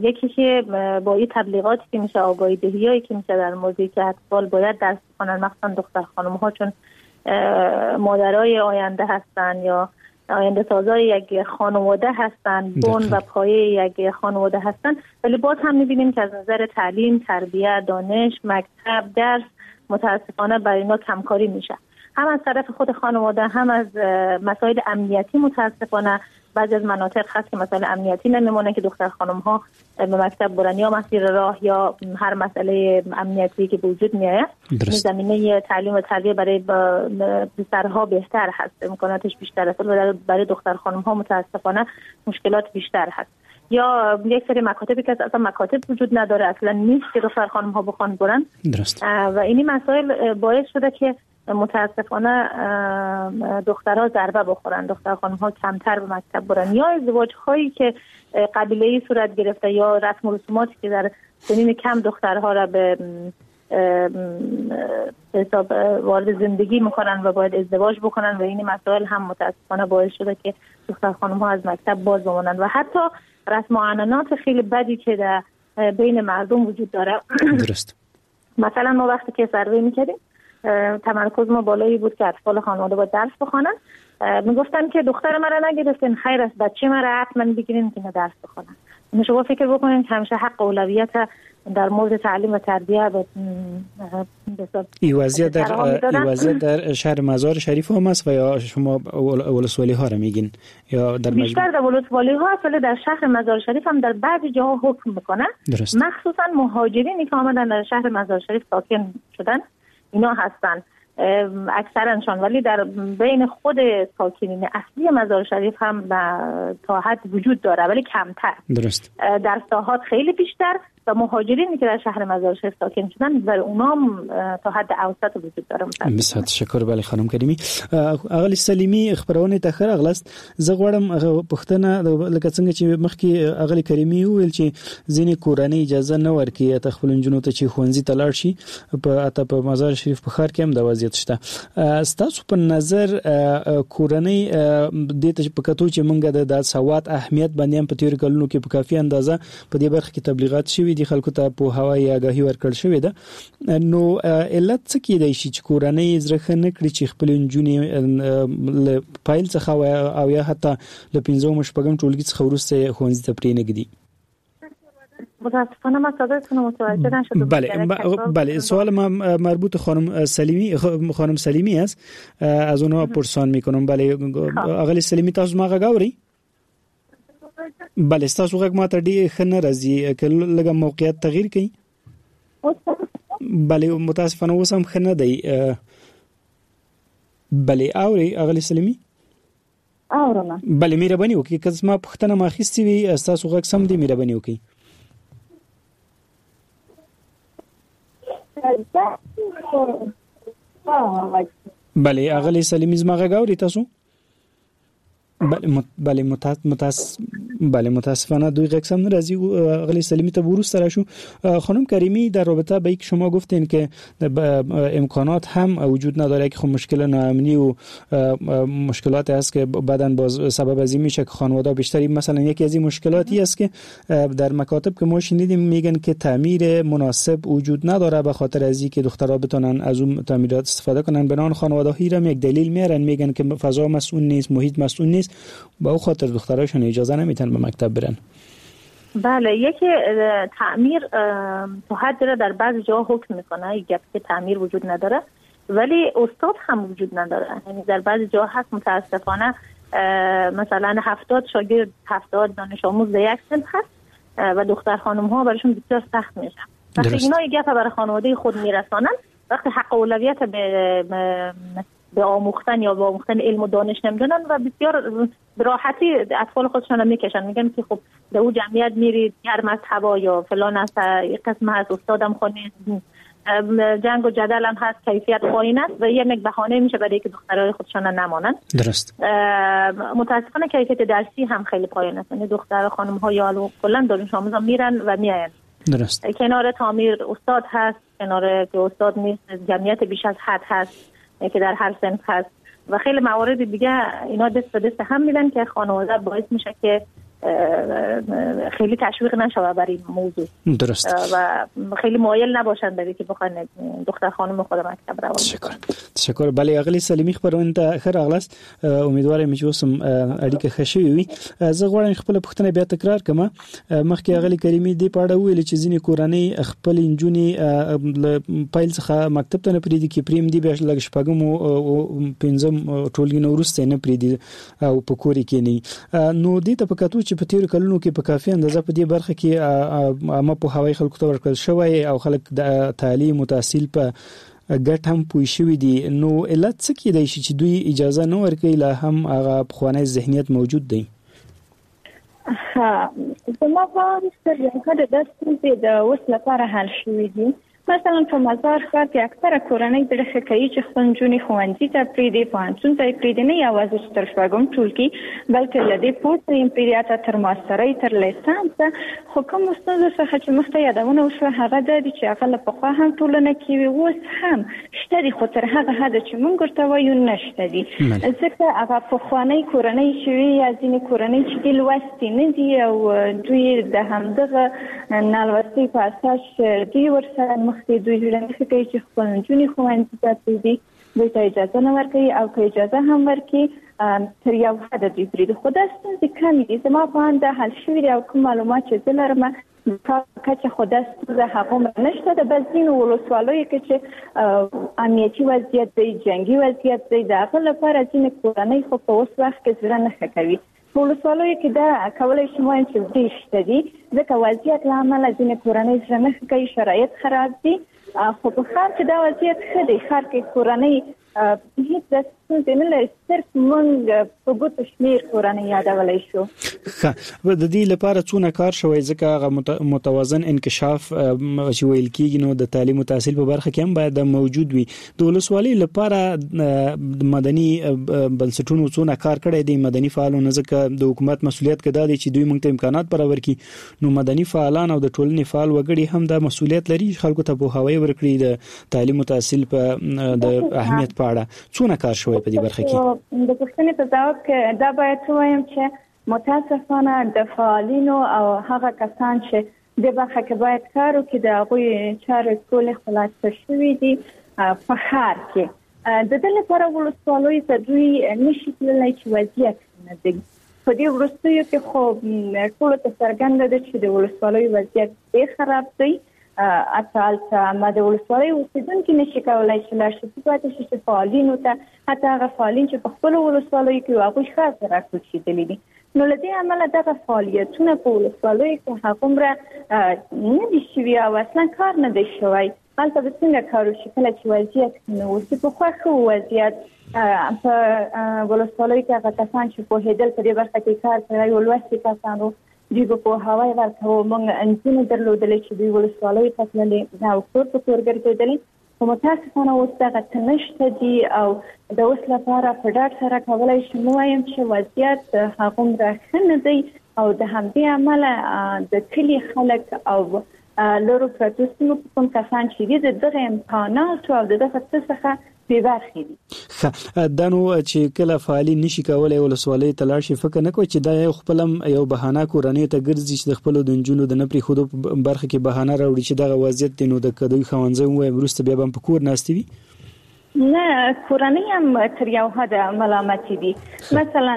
یکی که با این تبلیغاتی که میشه، آگاهی دهیایی که میشه در موردی که اطفال باید درس بخوانن، مخصوصا دختر خانم ها چون مادرای آینده هستن یا آینده سازای یک خانواده هستن، بن و پایه یک خانواده هستن، ولی باز هم میبینیم که از نظر تعلیم، تربیت، دانش، مکتب، درس متاسفانه برای اینا کمکاری میشه، هم از طرف خود خانواده، هم از مسائل امنیتی. متاسفانه بعضی از مناطق هست که مسائل امنیتی نمیمونه که دختر خانم ها به مکتب برن، یا مسیر راه یا هر مسئله امنیتی که به وجود میآید. زمینه تعلیم و تربیت برای پسرها بهتر هست، امکاناتش بیشتر است، ولی برای دختر خانم ها متاسفانه مشکلات بیشتر هست. یا یک سری مکاتبی که اصلا مکاتب وجود نداره، اصلا نیست که دختر خانم ها بخوان برن. درست. و این مسائل باعث شده که متاسفانه دخترها ضربه بخورن، دختر خانم ها کمتر به مکتب برن، یا ازدواج هایی که قبیله‌ای صورت گرفته یا رسم و رسوماتی که در سنین کم دخترها را به حساب وارد زندگی میکنن و باید ازدواج بکنن و این مسائل هم متاسفانه باعث شده که دختر خانم ها از مکتب باز بمانند و حتی رسم و عنعنات خیلی بدی که در بین مردم وجود داره. درست. مثلا ما وقتی که سروی میکردیم تمرکز ما بالایی بود که اطفال خانواده باید درس بخوانن، میگفتن که دختر مرا نگرفتین، خیر است، بچه مرا حتما بگیرین که درس بخوانن. شما فکر بکنین که همیشه حق اولویت در مورد تعلیم و تربیت به این وضعیت در این وضعیت در شهر مزار شریف هم است و یا شما ولسوالی ها را میگین یا در بیشتر در ولسوالی ها است، ولی در شهر مزار شریف هم در بعضی جاها حکم میکنن. مخصوصا مهاجرینی که آمدن در شهر مزار شریف ساکن شدن اینا هستن اکثرشان، ولی در بین خود ساکنین اصلی مزار شریف هم تا حد وجود داره ولی کمتر. درست. در ساحات خیلی بیشتر و مهاجرینی که در شهر مزار شریف ساکن شدن بر اونام تا حد اوسط وجود داره. بسیار تشکر. بله خانم کریمی. اغلی سلیمی خبرونه ته ښه راغلاست. زه غواړم پوښتنه لکه څنګه چې مخکې اغلی کریمی وویل چې ځینې کورنۍ اجازه نه ورکوي ته خپل نجونو ته چې ښوونځي ته لاړ شي، په حتی په مزار شریف په ښار کې هم دا وضعیت شته. ستاسو په نظر کورنۍ دې ته په کتو چې مونږ د سواد اهمیت باندې هم په تېرو کلونو کې په کافي اندازه په دې برخه کې تبلیغات شوي دي، خلکو ته پوهاوی یا آګاهي ورکړل شوې ده، نو علت څه کېدای شي چې کورنۍ زړه ښه نه کړي چې خپلې نجونې له پیل څخه او یا حتی له پنځم او شپږم ټولګي څخه وروسته ښوونځي ته پرېنږدي؟ متاسفانه من صدایتون متوجه نشدم. بله بله، سوال ما مربوط خانم سلیمی خانم سلیمی است، از اونها پرسان میکنم. بله اغلی سلیمی تاسو ما غږ اورئ؟ بله ستاسو غږ ماته ډېر ښه نه راځي، که لږه موقعیت تغییر کړئ. بله متاسفانه اوس هم ښه نه دی. بله اورئ اغلی سلیمی؟ اورم. بله مهرباني وکړئ، که زما پوښتنه ما اخیستې وي ستاسو غږ سم دی، مهرباني وکړئ. بله اغلی سلیمی زما غږ اورئ تاسو؟ بله بله متاس بله متاسفانه دوی غږ سم نه راځي. اغلی سلیمی ته وروسته راشو. خانم کریمی، در رابطه با اینکه شما گفتین که امکانات هم وجود نداره که خب مشکل ناامنی و مشکلات هست که بعداً باز سبب از این میشه که خانواده بیشتری، مثلا یکی از این مشکلاتی است که در مکاتب که ما شنیدیم میگن که تعمیر مناسب وجود نداره، به خاطر از اینکه دخترها بتونن از اون تعمیرات استفاده کنن. بنان خانواده ها هم یک دلیل میارن، میگن که فضا مسئول نیست، محیط مسئول نیست، با او خاطر دختراشون اجازه نمیتن به مکتب برن. بله، یکی تعمیر تا حد را در بعض جاها حکم میکنه، یک که تعمیر وجود نداره، ولی استاد هم وجود نداره. یعنی در بعض جاها هست متاسفانه مثلا هفتاد شاگرد، هفتاد دانش آموز در یک صنف هست و دختر خانم ها براشون بسیار سخت میشه. وقتی اینا یک گپ برای خانواده خود میرسانن، وقتی حق اولویت به به آموختن یا به آموختن علم و دانش نمیدونن و بسیار به راحتی اطفال خودشان رو میکشن، میگن که خب در او جمعیت میرید گرم از هوا یا فلان است، قسم هست، استادم خونه جنگ و جدل هم هست، کیفیت پایین است و یک بهانه میشه برای که دخترای خودشان نمانن. درست. متاسفانه کیفیت درسی هم خیلی پایین است، یعنی دختر خانم ها یا کلا دانش آموزا میرن و میاین. درست. کنار تعمیر استاد هست، کنار که استاد نیست، جمعیت بیش از حد هست که در هر صنف هست و خیلی موارد دیگه. اینا دست به دست هم میدن که خانواده باعث میشه که خیلی تشویق نشوه برای این موضوع. درست. و خیلی مایل نباشند برای که بخوان دختر خانم خود مکتب روان. تشکر. تشکر. بله اغلی سلیمی خبرونه ته ښه راغلاست. امیدوار یم چې اوس هم اړیکه ښه شوې وي. زه غواړم خپله پوښتنه بیا تکرار کړم. مخکې اغلی کریمي دې په اړه وویل چې ځینې کورنۍ خپل نجونې له پیل څخه مکتب ته نه پرېږدي، کې پرېم دي بیا لږ شپږم او پنځم ټولګي نه وروسته نه پرېږدي او په کور کې نه. نو دې ته په کتو چې په تیرو کلونو کې په کافي اندازه په دې برخه کې عامه پوهاوی خلکو ته ورکړل شوی او خلک د تعلیم او تحصیل په ګټه هم پوه شوي دي، نو علت څه کېدای شي چې دوی اجازه نه ورکوي، لا هم هغه پخوانی ذهنیت موجود دی؟ ها، زما په اند تر یو حده دا ستونزې د اوس لپاره حل شوي دي. مثلا په مزار ښار کې اکثره کورنۍ زړه ښه کوي چې خپل نجونې ښوونځي ته پرېږدي، پوهنتون ته یې پرېږدي، نه یوازې چې تر شپږم ټولګي بلکې له دې پورته یې پرېږدي، حتی تر ماسترۍ تر لیسانسه. خو کوم ستونزو څخه چې مخته یادونه وشوه هغه دا دي چې هغه له پخوا هم ټولنه کې وي، اوس هم شته دي، خو تر هغه حده چې موږ ورته وایو نشته دي. ځکه هغه پخوانۍ کورنۍ چې وي یا ځینې کورنۍ چې دي لوستې نه دي او دوی د همدغه نالوستۍ په اساس دوی ورسره مخکې دوی زړه نه ښه کوي چې خپل نجونې ښوونځي ته پرېږدي، دوی ته اجازه نه ورکوي او که اجازه هم ورکړي تر یو حده دوی پرېږدي. خو دا ستونزې کمې دي، زما په اند دا حل شوي دي او کوم معلومات چې زه لرم کچه خو دا ستونزه هغومره نشته ده. بس ځینو ولسوالیو کې چې امنیتي وضعیت دی، جنګي وضعیت دی، د هغه لپاره ځینې کورنۍ خو په اوس وخت کې زړه نه ښه کوي. په ولسوالیو کې دا کولی شم ووایم چې ډېر شته دي، ځکه وضعیت له امله ځینې کورنۍ زړه نه ښه کوي، شرایط خراب دي. خو په ښار کې دا وضعیت ښه دی، ښار کې کورنۍ هیڅ داسې ستونزې نه لري، صرف موږ په ګوتو شمېر کورنۍ یادولی شو. ښه، د دې لپاره څونه کار شوی؟ ځکه هغه متوازن انکشاف چې ویل کېږي نو د تعلیم او تحصیل په برخه کې هم باید موجود وي. د ولسوالۍ لپاره مدني بنسټونو څونه کار کړی دی، مدني فعالانو؟ ځکه د حکومت مسولیت که دا دی چې دوی موږ ته امکانات برابر کړي، نو مدني فعالان او د ټولنې فعال وګړي هم دا مسولیت لري چې خلکو ته پوهاوی ورکړي د تعلیم او تحصیل په د اهمیت په اړه. څونه کار شوی په دې برخه کې؟ د پوښتنې په ځواب کې دا باید ووایم چې متاسفانه د فعالینو او هغه کسان چې د برخه کې باید کار وکړي د هغوی چارې ټولې خلاصه شوې دي په ښار کې. د دې لپاره ولسوالیو ته دوی نشي تللی چې وضعیت نه دی. په دې وروستیو کې خو ټولو ته څرګنده ده چې د ولسوالیو وضعیت ډېر خراب دی. حتی هلته ما د ولسوالۍ اوسېدونکي نشي کولی چې لاړ شي، پاتې شي چې فعالینو ته، حتی هغه فعالین چې په خپلو ولسوالیو کې وو هغوی ښار ته راکوچېدلي دي. نو له دې امله دغه فعالیتونه په ولسوالیو کې هغومره نه دي شوي او اصلا کار نه دی شوی. هلته به څنګه کار وشي کله چې وضعیت ښه نه اوسي؟ پخوا ښه و وضعیت په ولسوالیو کې، هغه کسان چې پوهېدل په دې برخه کې کار کړی و، لوستي کسان وو، دوی به پوهاوی ورکاوه. موږ نجونې درلودلې چې دوی ولسوالیو ته تللې او کور په کور ګرځېدلې، خو متاسفانه اوس دغه څه نشته دي. او د اوس لپاره په ډاډ سره کولی شم ووایم چې وضعیت هغومره ښه نه دی او د همدې امله د کلي خلک او لرو پرتو سیمو کوم کسان چې دي د دغه امکاناتو او د دغه څه څخه بې برخې دي. ښه، دا نو چې کله فعالین نشي کولای ولسوالۍ ته لاړ شي، فکر نه کوي چې دا یو خپل یو بهانه کورنۍ ته ګرځي چې د خپلو د نجونو د نه پرېښودو په برخه کې بهانه راوړي چې دغه وضعیت دی، نو د دوی ښوونځی ووایم وروسته بیا به هم په کور ناستې وي؟ نه، کورنۍ هم تر یو حده ملامتې دي. مثلا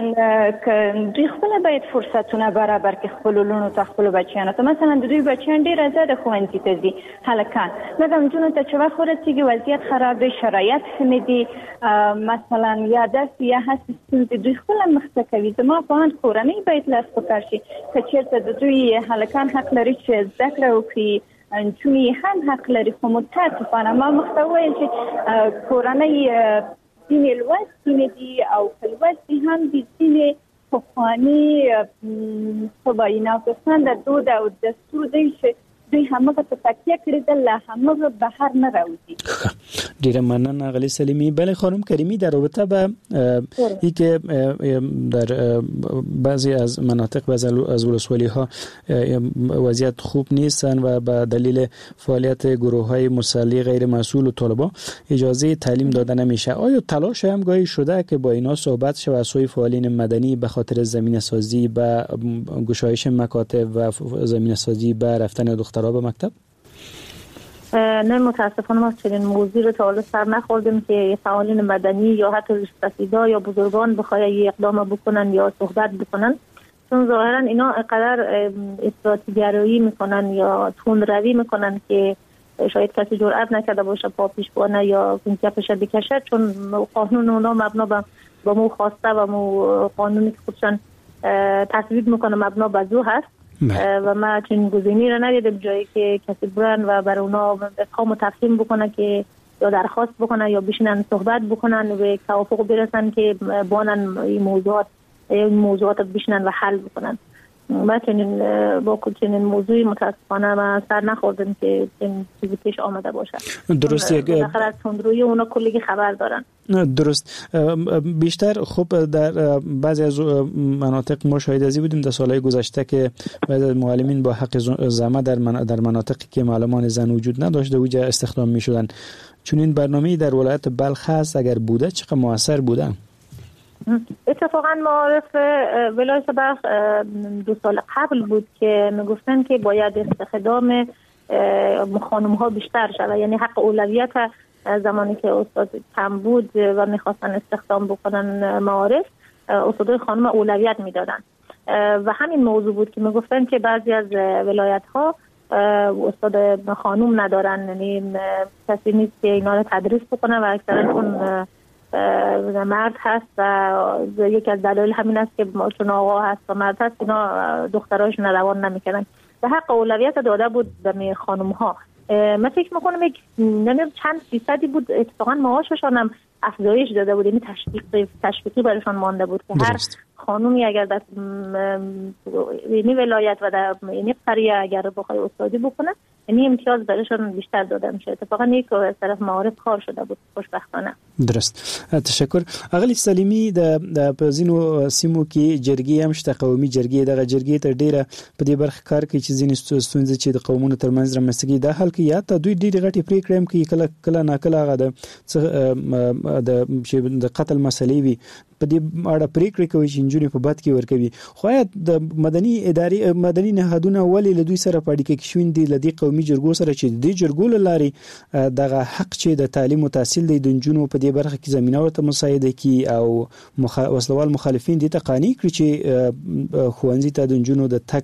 که دوی خپله باید فرصتونه برابر کړي خپلو لوڼو ته، خپلو بچیانو ته. مثلا د دوی بچیان ډېر ازاده ښوونځي ته ځي هلکان، مګر نجونو ته چې وخت ورسېږي وضعیت خراب دی، شرایط ښه نه دي، مثلا یا داسې یا هسې ستونزې دوی خپله مخته کوي. زما په اند کورنۍ باید لاس په کار شي. که چېرته د دوی هلکان حق لري چې زده کړه وکړي، نجونې هم حق لري. خو متاسفانه ما مخته وویل چې کورنۍ ځینې لوستې نه دي او که لوستې هم دي ځینې پخواني څه وایي ناپسنده دود او دستور دی چې دوی همغه ته تکیه کړې ده، له همغه بهر نه راوځي. ډیره مننه آغلی سلیمی. بله خانم کریمی، در رابطه به ای که در بعضی از مناطق بعضی از ولسوالی ها وضعیت خوب نیستن و به دلیل فعالیت گروه های مسلح غیر مسئول و طالبان اجازه تعلیم داده نمیشه، آیا تلاش هم گاهی شده که با اینا صحبت شه و از سوی فعالین مدنی به خاطر زمینه سازی به گشایش مکاتب و زمینه سازی به رفتن دخترها به مکتب؟ نه متاسفانه ما چنین موضوع رو تا حالا سر نخوردیم که فعالین مدنی یا حتی ریش‌سفیدا یا بزرگان بخوای یه اقدام بکنن یا صحبت بکنن، چون ظاهرا اینا اینقدر افراطی‌گرایی میکنن یا تندروی میکنن که شاید کسی جرئت نکرده باشه پا پیش بانه یا کپش بکشه، چون قانون اونا مبنا با مو خواسته و مو قانونی که خودشان تصویب میکنه مبنا بر زو هست. و ما چنین گزینه‌ای را ندیدم جایی که کسی برن و بر اونا افهام و تفهیم بکنه که یا درخواست بکنه یا بشینن صحبت بکنن و به توافق برسن که بانن این موضوعات این موضوعات بشینن و حل بکنن. ما چنین با چنین موضوعی متاسفانه ما سر نخوردیم که چنین چیزی پیش آمده باشه. درست، یک بالاخره از تندروی اونا کلی خبر دارن. درست. بیشتر خب در بعضی از مناطق ما شاهد ازی بودیم در سالهای گذشته که بعضی از معلمین با حق زمه در در مناطقی که معلمان زن وجود نداشته اوجا استخدام می‌شدن. چون این برنامه‌ای در ولایت بلخ هست، اگر بوده چقدر موثر بوده؟ اتفاقا معارف ولایت بلخ دو سال قبل بود که میگفتن که باید استخدام خانم ها بیشتر شود، یعنی حق اولویت زمانی که استاد کم بود و میخواستن استخدام بکنن معارف، استادای خانم اولویت میدادن و همین موضوع بود که میگفتن که بعضی از ولایت ها استاد خانم ندارن، یعنی کسی نیست که اینا رو تدریس بکنه و اکثرا چون مرد هست و یکی از دلایل همین است که چون آقا هست و مرد هست اینا دختراشون روان نمیکنن و حق اولویت داده بود به خانم ها. من فکر میکنم یک نمیدونم چند فیصدی بود اتفاقا معاششان هم افزایش داده بود، یعنی تشویق تشویقی برایشان مانده بود که هر خانومی اگر در یعنی ولایت و در یعنی قریه اگر بخوای استادی بکنه یعنی امتیاز برایشان بیشتر داده میشه. اتفاقا یک از طرف معارف کار شده بود خوشبختانه. درست، تشکر. اغلی سلیمی، د په ځینو سیمو کې جرګې هم شته، قومي جرګې، دغه جرګې تر ډیره په دې برخه کار کوي چې ځینې ستونزې چې د قومونو ترمنځ رامنځته کېږي دا حل کوي، یا ته دوی ډېرې غټې پرېکړې هم کوي، کله کله ناکله هغه د د د قتل مسلې وي په دې اړه پرېکړې کوي چې نجونې په بد کې ورکوي. خو آیا د مدني ادارې مدني نهادونه ولې له دوی سره په اړیکه کې شوي دي، له دې قومي جرګو سره چې د دې جرګو له لارې دغه حق چې د تعلیم او تحصیل دی د نجونو په دې برخه کې زمینه ورته مساعده کړي او مخ... وسلوال مخالفین دې ته قانع کړي چې ښوونځي ته د نجونو د تګ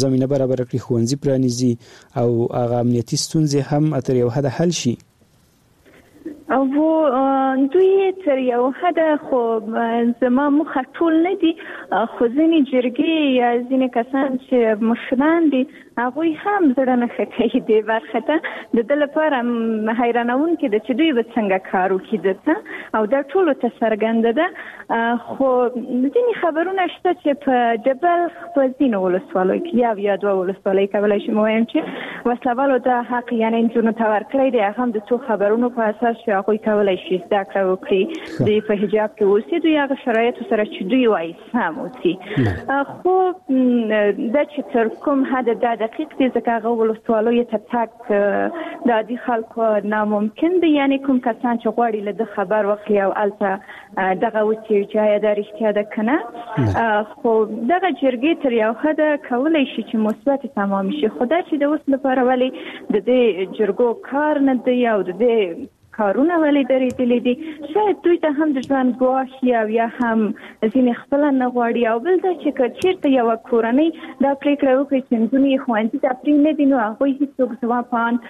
زمینه برابره کړي، ښوونځي پرانیزي او هغه امنیتي ستونزې هم تر یو حده حل شي؟ او دوی تر یو حده خو زما موخه ټول نه دي، خو ځینې جرګې یا ځینې کسان چې مشران دي هغوی هم زړه نه ښه کوي دې برخه ته. د ده لپاره حیرانوونکې ده چې دوی به څنګه کار وکړي دلته، او دا ټولو ته څرګنده ده. خو ځینې خبرونه شته چې په د بلخ په ځینو ولسوالیو کې یو یا دوه ولسوالۍ کولی شم ووایم چې وسلهوالو دا حق یعنې نجونو ته ورکړی دی، هغه هم د څو خبرونو په اساس چې هغوی کولی شي زده کړه وکړي، دوی په حجاب کې اوسي، دوی هغه شرایطو سره چې دوی وایي سم اوسي. خو دا چې تر کوم حده دا دقیق دی، ځکه هغه ولسوالیو ته تګ د عادي خلکو ناممکن دی، یعنې کوم کسان چې غواړي له ده خبر واخلي او هلته دغه وڅېړي چې آیا دا رښتیا ده که نه. خو دغه جرګې تر یو حده کولی شي چې مثبتې تمامې شي، خو دا چې د اوس لپاره ولې د دې جرګو کار نه دی او د دې کارونه ولې درېدلي دي، شاید دوی ته هم د ژوند ګواښ او یا هم ځینې خپله نه غواړي. او بل دا چې که چېرته یوه کورنۍ دا پرېکړه وکړي چې نجونې یې ښوونځي ته پرې نه دي، نو هغوی هېڅوک زما په اند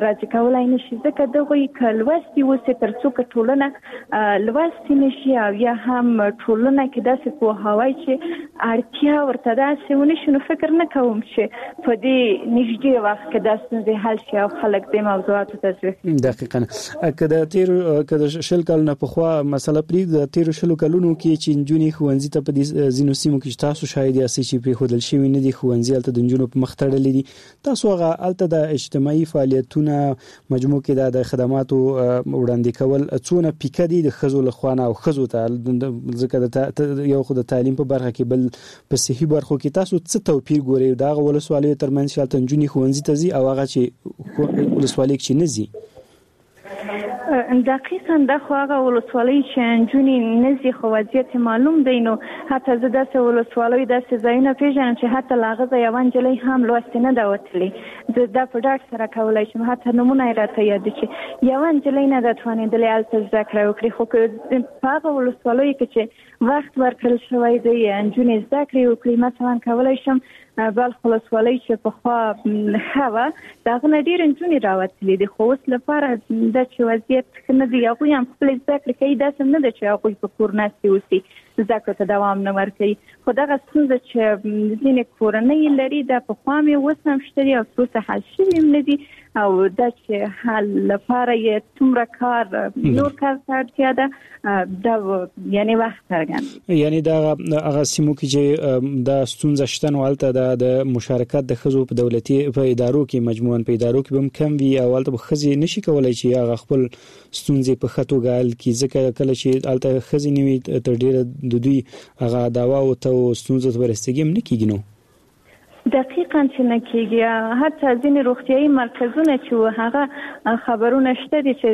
راضي کولای نه شي، ځکه دغوی که لوستي اوسي تر څو که ټولنه لوستې نه شي او یا هم ټولنه کې داسې پوهاوی چې اړتیا ورته داسې ونه شي، نو فکر نه کوم چې په دې نږدې وخت کې دا ستونزې حل شي او خلک دې موضوعاتو ته ځي. دقیقاً. که د تیرو که د شل کلونو پخوا مسله پرېږدو، د تیرو شلو کلونو کې چې نجونې ښوونځي ته په دې ځینو سیمو کې چې تاسو شاهد یاستئ چې پرېښودل شوي نه دي، ښوونځي هلته د نجونو په مخ تړلي دي، تاسو هغه هلته د اجتماعي فعالیتونه مجموع کې د خدماتو وړاندې کول څونه پیکه دي د ښځو له خوا نه او ښځو ته، ځکه د یو خو د تعلیم په برخه کې بل په صحي برخو کې تاسو څه توپیر ګورئ د هغه ولسوالیو ترمنځ چې هلته نجونې ښوونځي ته ځي او هغه چې ولسوالۍ کې نه ځي؟ دقیقا دا خو هغه ولسوالۍ چې نجونې نه ځي خو وضعیت معلوم دی. نو حتی زه داسې ولسوالۍ داسې ځایونه پېژنم چې حتی له هغه ځایه یوه نجلۍ هم لوستې نه ده وتلې. زه دا په ډاډ سره کولی شم، حتی نومونه یې راته یاد دي چې یوه نجلۍ نه ده توانېدلې هلته زده کړه وکړي. خو که په هغه ولسوالیو کې چې وخت ورکړل شوی دی نجونې زده کړې وکړي، مثلا کولی شم بلخ ولسوالۍ چې پخوا ښه وه د هغه نه ډېرې نجونې راوتلې دي، خو اوس لپاره دا چې وضعیت ښه نه دی، هغوی هم خپلې زده کړې کوي، داسې نه ده چې هغوی په کور ناستې اوسي، زده کړو ته دوام نه ورکوي. خو دغه ستونزه چې ځینې کورنۍ لري دا پخوا مې اوس هم شته دي او تر اوسه حل شوي هم نه دي، او دا چې حل لپاره یې څومره کار نور کار ته اړتیا ده دا یعنی وخت څرګند. یعنی دا هغه سیمو کې چې دا ستونزه شته نو هلته دا د مشارکت د ښځو په دولتي په ادارو کې مجموعاً په ادارو کې به هم کم وي او هلته به ښځې نشي کولی چې هغه خپل ستونزې په ښه توګه حل کړي، ځکه کله چې هلته ښځې نه وي تر ډېره د دوی هغه دعواو ته او ستونزو ته رسیدګي هم نه کېږي. نو دقیقا چې نه کېږي. حتی ځینې روغتیایي مرکزونه چې هغه خبرونه شته دي چې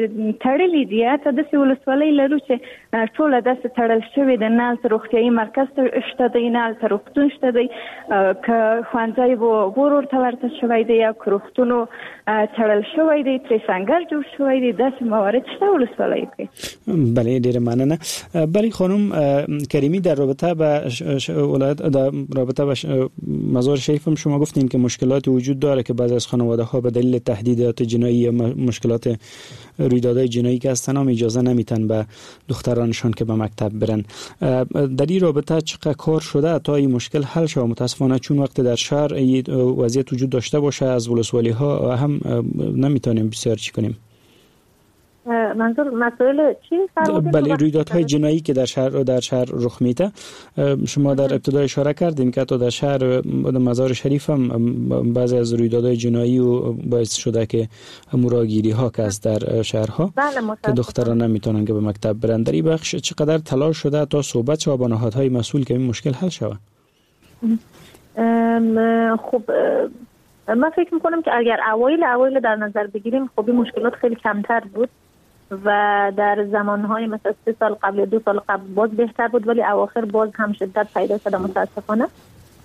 تړلي دي، حتی داسې ولسوالۍ لرو چې ټوله داسې تړل شوې ده، نه هلته روغتیایي مرکز شته دی، نه هلته روغتون شته دی، که ښوونځی ور ورته ورته شوی دی یا که روغتونو تړل شوی دی، ترې سنګر جوړ شوی دی، داسې موارد شته ولسوالیو کې. بله ډیره مننه. بله خانم کریمی، در رابطه به ولایت در رابطه به مزار شریف هم شما گفتین که مشکلات وجود داره که بعضی از خانواده ها به دلیل تهدیدات جنایی یا مشکلات رویدادهای جنایی که هستن هم اجازه نمیتن به دخترانشان که به مکتب برن. در این رابطه چقدر کار شده تا این مشکل حل شود؟ متاسفانه چون وقت در شهر وضعیت وجود داشته باشه از ولسوالی ها هم نمیتونیم بسیار چی کنیم. منظور مسائل چی؟ بله، رویدادهای جنایی که در شهر در شهر رخ میده. شما در ابتدا اشاره کردین که حتی در شهر مزار شریف هم بعضی از رویدادهای جنایی و باعث شده که مراگیری ها که از در شهرها بله که دختران نمیتونن که به مکتب برن. در این بخش چقدر تلاش شده تا صحبت شود با نهادهای مسئول که این مشکل حل شود؟ خب من فکر میکنم که اگر اوایل اوایل در نظر بگیریم خب این مشکلات خیلی کمتر بود و در زمانهای مثلا سه سال قبل دو سال قبل باز بهتر بود، ولی اواخر باز هم شدت پیدا شده متاسفانه.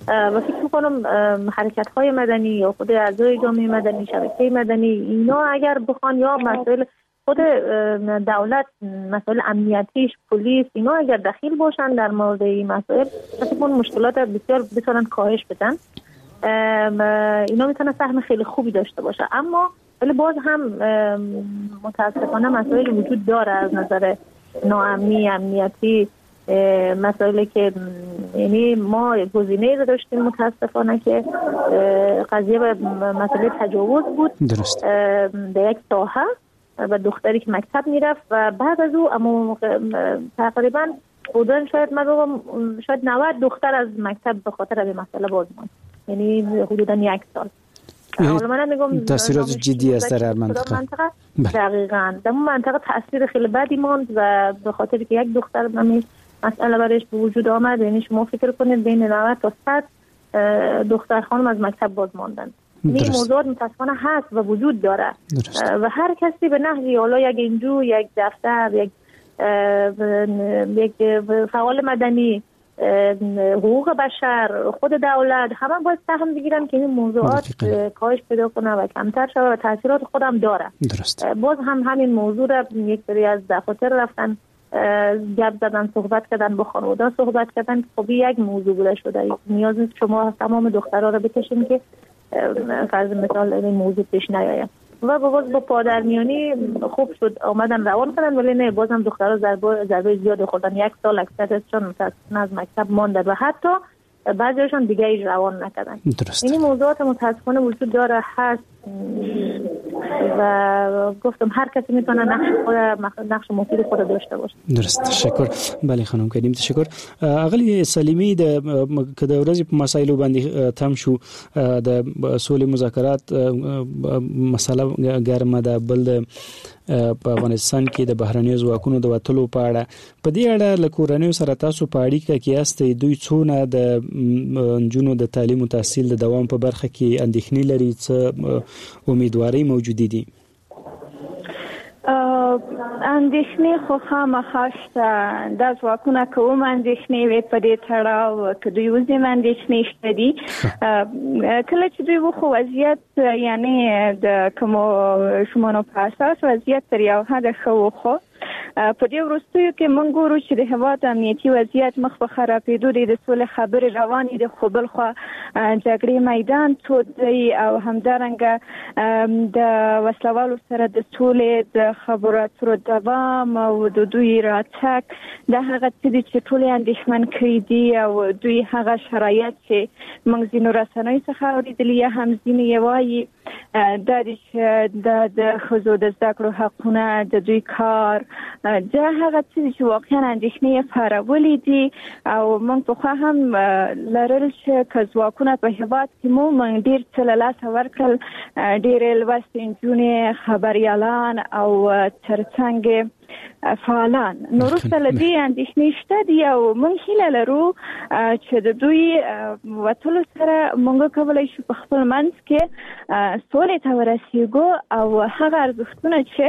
و فکر میکنم حرکت‌های مدنی یا خود اعضای جامعه مدنی، شبکه مدنی، اینا اگر بخوان یا مسائل خود دولت، مسائل امنیتیش، پلیس، اینا اگر دخیل باشن در مورد این مسائل، فکر میکنم مشکلات بسیار بتونن کاهش بدن. اینا میتونن سهم خیلی خوبی داشته باشه، اما ولی باز هم متاسفانه مسائل وجود داره از نظر ناامنی، امنیتی، مسائلی که یعنی ما گزینه‌ای رو داشتیم متاسفانه که قضیه به مسئله تجاوز بود. درست. در یک ساحه و دختری که مکتب میرفت و بعد از او اما تقریبا بودن شاید من بگم شاید نود دختر از مکتب به خاطر این مسئله باز ماند، یعنی حدوداً یک سال. حالا من میگم تاثیرات جدی است در هر منطقه. منطقه دقیقاً در منطقه تاثیر خیلی بدی ماند و به خاطر که یک دختر همین مسئله برایش به وجود آمد، یعنی شما فکر کنید بین نود تا صد دختر خانم از مکتب باز ماندن. این موضوع متاسفانه هست و وجود داره. درست. و هر کسی به نحوی، حالا یک انجو، یک دفتر، یک یک فعال مدنی، حقوق بشر، خود دولت، همه باید سهم بگیرن که این موضوعات کاهش پیدا کنه و کمتر شود و تاثیرات خودم داره. درست. باز هم همین موضوع را یک سری از دفاتر رفتن گپ زدن، صحبت کردن، با خانواده صحبت کردن. خب یک موضوع بوده شده، نیاز نیست شما تمام دخترها رو بکشین که فرض مثال این موضوع پیش نیاید. و باز با پادرمیانی خوب شد آمدن روان کردن، ولی نه، بازم دخترها ضربه ضربه زیاد خوردن. یک سال اکثرشون متاسفانه از مکتب ماندن و حتی بعضیشون دیگه ایج روان نکردن. درست. این موضوعات متاسفانه وجود داره، هست. و گفتم هر کسی میتونه نقش خود، نقش مفید خود داشته باشه. درست، تشکر. بله خانم کریم، تشکر. اغلی سلیمی، د که د ورځې په مسایلو باندې تم شو، د سولې مذاکرات مسله ګرمه ده، بل د په افغانستان کې د بهرنیو ځواکونو د وتلو په اړه، په دې اړه له کورنیو سره تاسو په اړیکه کې یاستئ، دوی څونه د نجونو د تعلیم او تحصیل د دوام په برخه کې اندېښنې لري، څه امیدوارۍ موجودې دي؟ اندېښنې خو خامخا شته. دا ځواکونه کوم اندېښنې وې په دې تړاو که دوی وځي اندېښنې شته دي. کله چې دوی وخو وضعیت یعنی د کومو شمونو په اساس وضعیت تر یو حده ښه و، خو په دې وروستیو کې موږ ګورو چې د هېواد امنیتي وضعیت مخ په خرابېدو دی، د سولې خبرې روانې دي، خو بلخوا جګړې میدان تود دی او همدارنګه د وسلوالو سره د سولې د خبرو اترو دوام او د دوی راتګ دا هغه څه دي چې ټول یې اندېښمن کړي دي او دوی هغه شرایط چې موږ ځینو رسنیو څخه اورېدلي یا هم ځینې یې وایي دا دي چې د ښځو د زده کړو حقونه، د دوی کار، دا هغه څه دي چې واقعا اندېښنې یې پارولې دي. او موږ پخوا هم لرل چې که ځواکونه په هېواد کې مو موږ ډېر څه له لاسه ورکړل، ډېرې لوستې نجونې، خبریالان او ترڅنګ فعالان. نو وروسته له دې اندېښنې شته دي او موږ هیله لرو چې د دوی وتلو سره موږ کولی شو په خپل منځ کې سولې ته ورسېږو او هغه ارزښتونه چې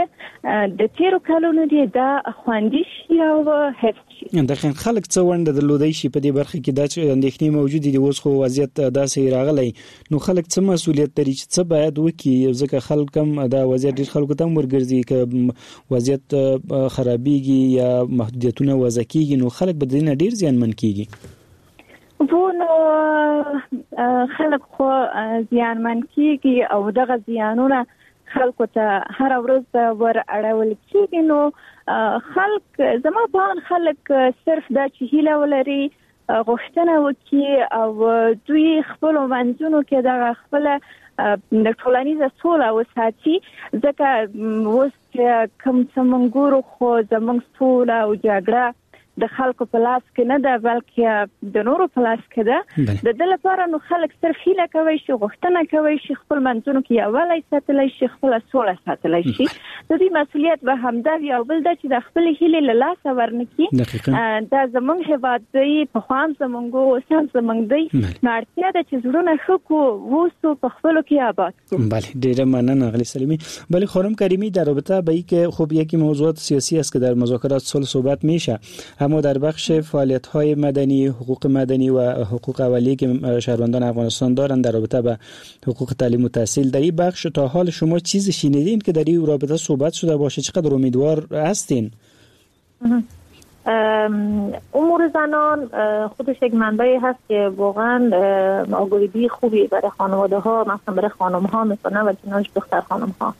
د تېرو کلونو دي دا خوندي شي او حفظ شي. دقیقاً خلک څه ونډه درلودای شي په دې برخه کې؟ دا چې اندېښنې موجودې دي، اوس خو وضعیت داسې راغلی، نو خلک څه مسولیت لري چې څه باید وکړي؟ ځکه خلک هم دا وضعیت ډېر خلکو ته هم ورګرځي، که وضعیت خرابېږي یا محدودیتونه وضع کیږي نو خلک به دې نه ډېر زیانمن کیږي. وو نو خلک خو زیانمن کیږي او دغه زیانونه خلکو ته هره ورځ ور اړول کیږي. نو خلک زما په اند خلک صرف دا چې هیله ولري، غوښتنه وکړي او دوی خپلو منځونو کې دغه خپله د ټولنیزه سوله وساتي، ځکه اوس چې کوم څه موږ ګورو خو زموږ سوله او جګړه د خلکو په لاس کې نه ده بلکې د نورو په لاس کې ده. د دې لپاره نو خلک صرف هیله کوي شي، غوښتنه کوي شي، خپل منځونو کې یووالی ساتلی شي، خپله سوله ساتلی شي. د دې مسولیت به همدا وي. او بل دا چې د خپلې هیلې له لاسه ورنکړي. دا زموږ هېواد دی، پخوا هم زموږ و، اوس هم زموږ دی، نو اړتیا ده چې زړونه ښه کړو، اوسو په خپلو کې آباد کړو. بله، ډېره مننه اغلی سلیمی. بله خانم کریمی، در رابطه با اینکه خب یکی موضوعات سیاسی است که در مذاکرات صلح صحبت میشه، اما در بخش فعالیت‌های مدنی، حقوق مدنی و حقوق اولیه که شهروندان افغانستان دارند در رابطه با حقوق تعلیم و تحصیل، در این بخش تا حال شما چیزی شنیدین که در این رابطه صحبت شده باشه؟ چقدر امیدوار هستین؟ امور زنان خودش یک منبعی هست که واقعا آگاهی خوبی برای خانواده ها، مثلا برای خانم ها میکنه و کنارش دختر خانم ها.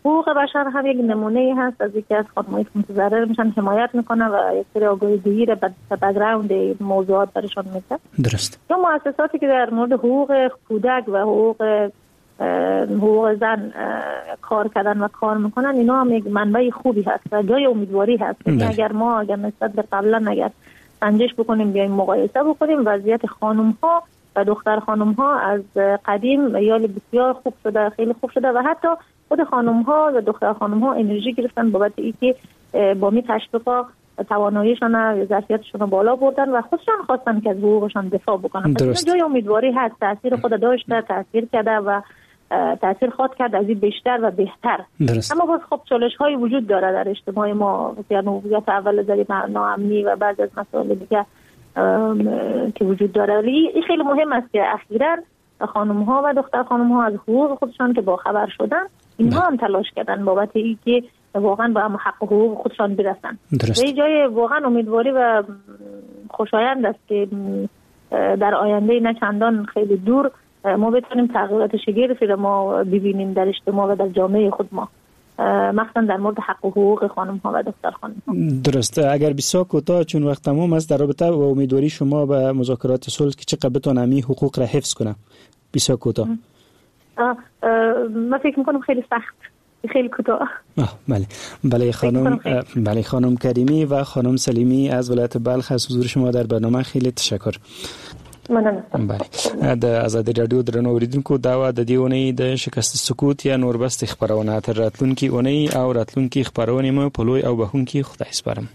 حقوق بشر هم یک نمونه هست از یکی از خانم‌هایی که متضرر میشن حمایت میکنه و یک سری آگاهی دهی را به بک‌گراند موضوعات برشان میده. درست. یا مؤسساتی که در مورد حقوق کودک و حقوق حقوق زن کار کردن و کار میکنن، اینا هم یک منبع خوبی هست و جای امیدواری هست. یعنی اگر ما اگر نسبت به قبلا اگر سنجش بکنیم، بیایم مقایسه بکنیم، وضعیت خانم ها و دختر خانم ها از قدیم یال بسیار خوب شده، خیلی خوب شده و حتی خود خانم ها و دختر خانم ها انرژی گرفتن بابت اینکه با می تشویقا تواناییشان و ظرفیتشون رو بالا بردن و خودشان خواستن که از حقوقشان دفاع بکنن. پس جای امیدواری هست، تاثیر خود داشته، تاثیر کرده و تاثیر خواهد کرد از این بیشتر و بهتر. درست. اما باز خب چالش های وجود داره در اجتماع ما، یعنی وضعیت اول زری ناامنی و بعضی از مسائل دیگه که وجود داره. ولی این خیلی مهم است که اخیراً خانم ها و دختر خانم ها از حقوق خودشان که باخبر شدن، اینها هم تلاش کردن بابت اینکه واقعا به حق و حقوق خودشان برسن. درست. این جای واقعا امیدواری و خوشایند است که در آینده نه چندان خیلی دور ما بتونیم تغییرات شگرفی رو ما ببینیم در اجتماع و در جامعه خود ما، مخصوصا در مورد حق و حقوق خانم ها و دختر خانم ها. درست. اگر بسیار کوتاه چون وقت تمام است، در رابطه با امیدواری شما به مذاکرات صلح که چقدر بتونه همین حقوق را حفظ کنه، بسیار کوتاه. من فکر میکنم خیلی سخت، خیلی کوتاه. بله بله خانم، بله خانم کریمی و خانم سلیمی از ولایت بلخ، از حضور شما در برنامه خیلی تشکر. مننه. بله، د ازادي رادیو درنو اوریدونکو، دا وه د دې اونۍ د شکست سکوت یا نور بست خپرونه. تر راتلونکي اونۍ او راتلونکي خپرونې مو په لوی او بخښونکي خدای سپارم.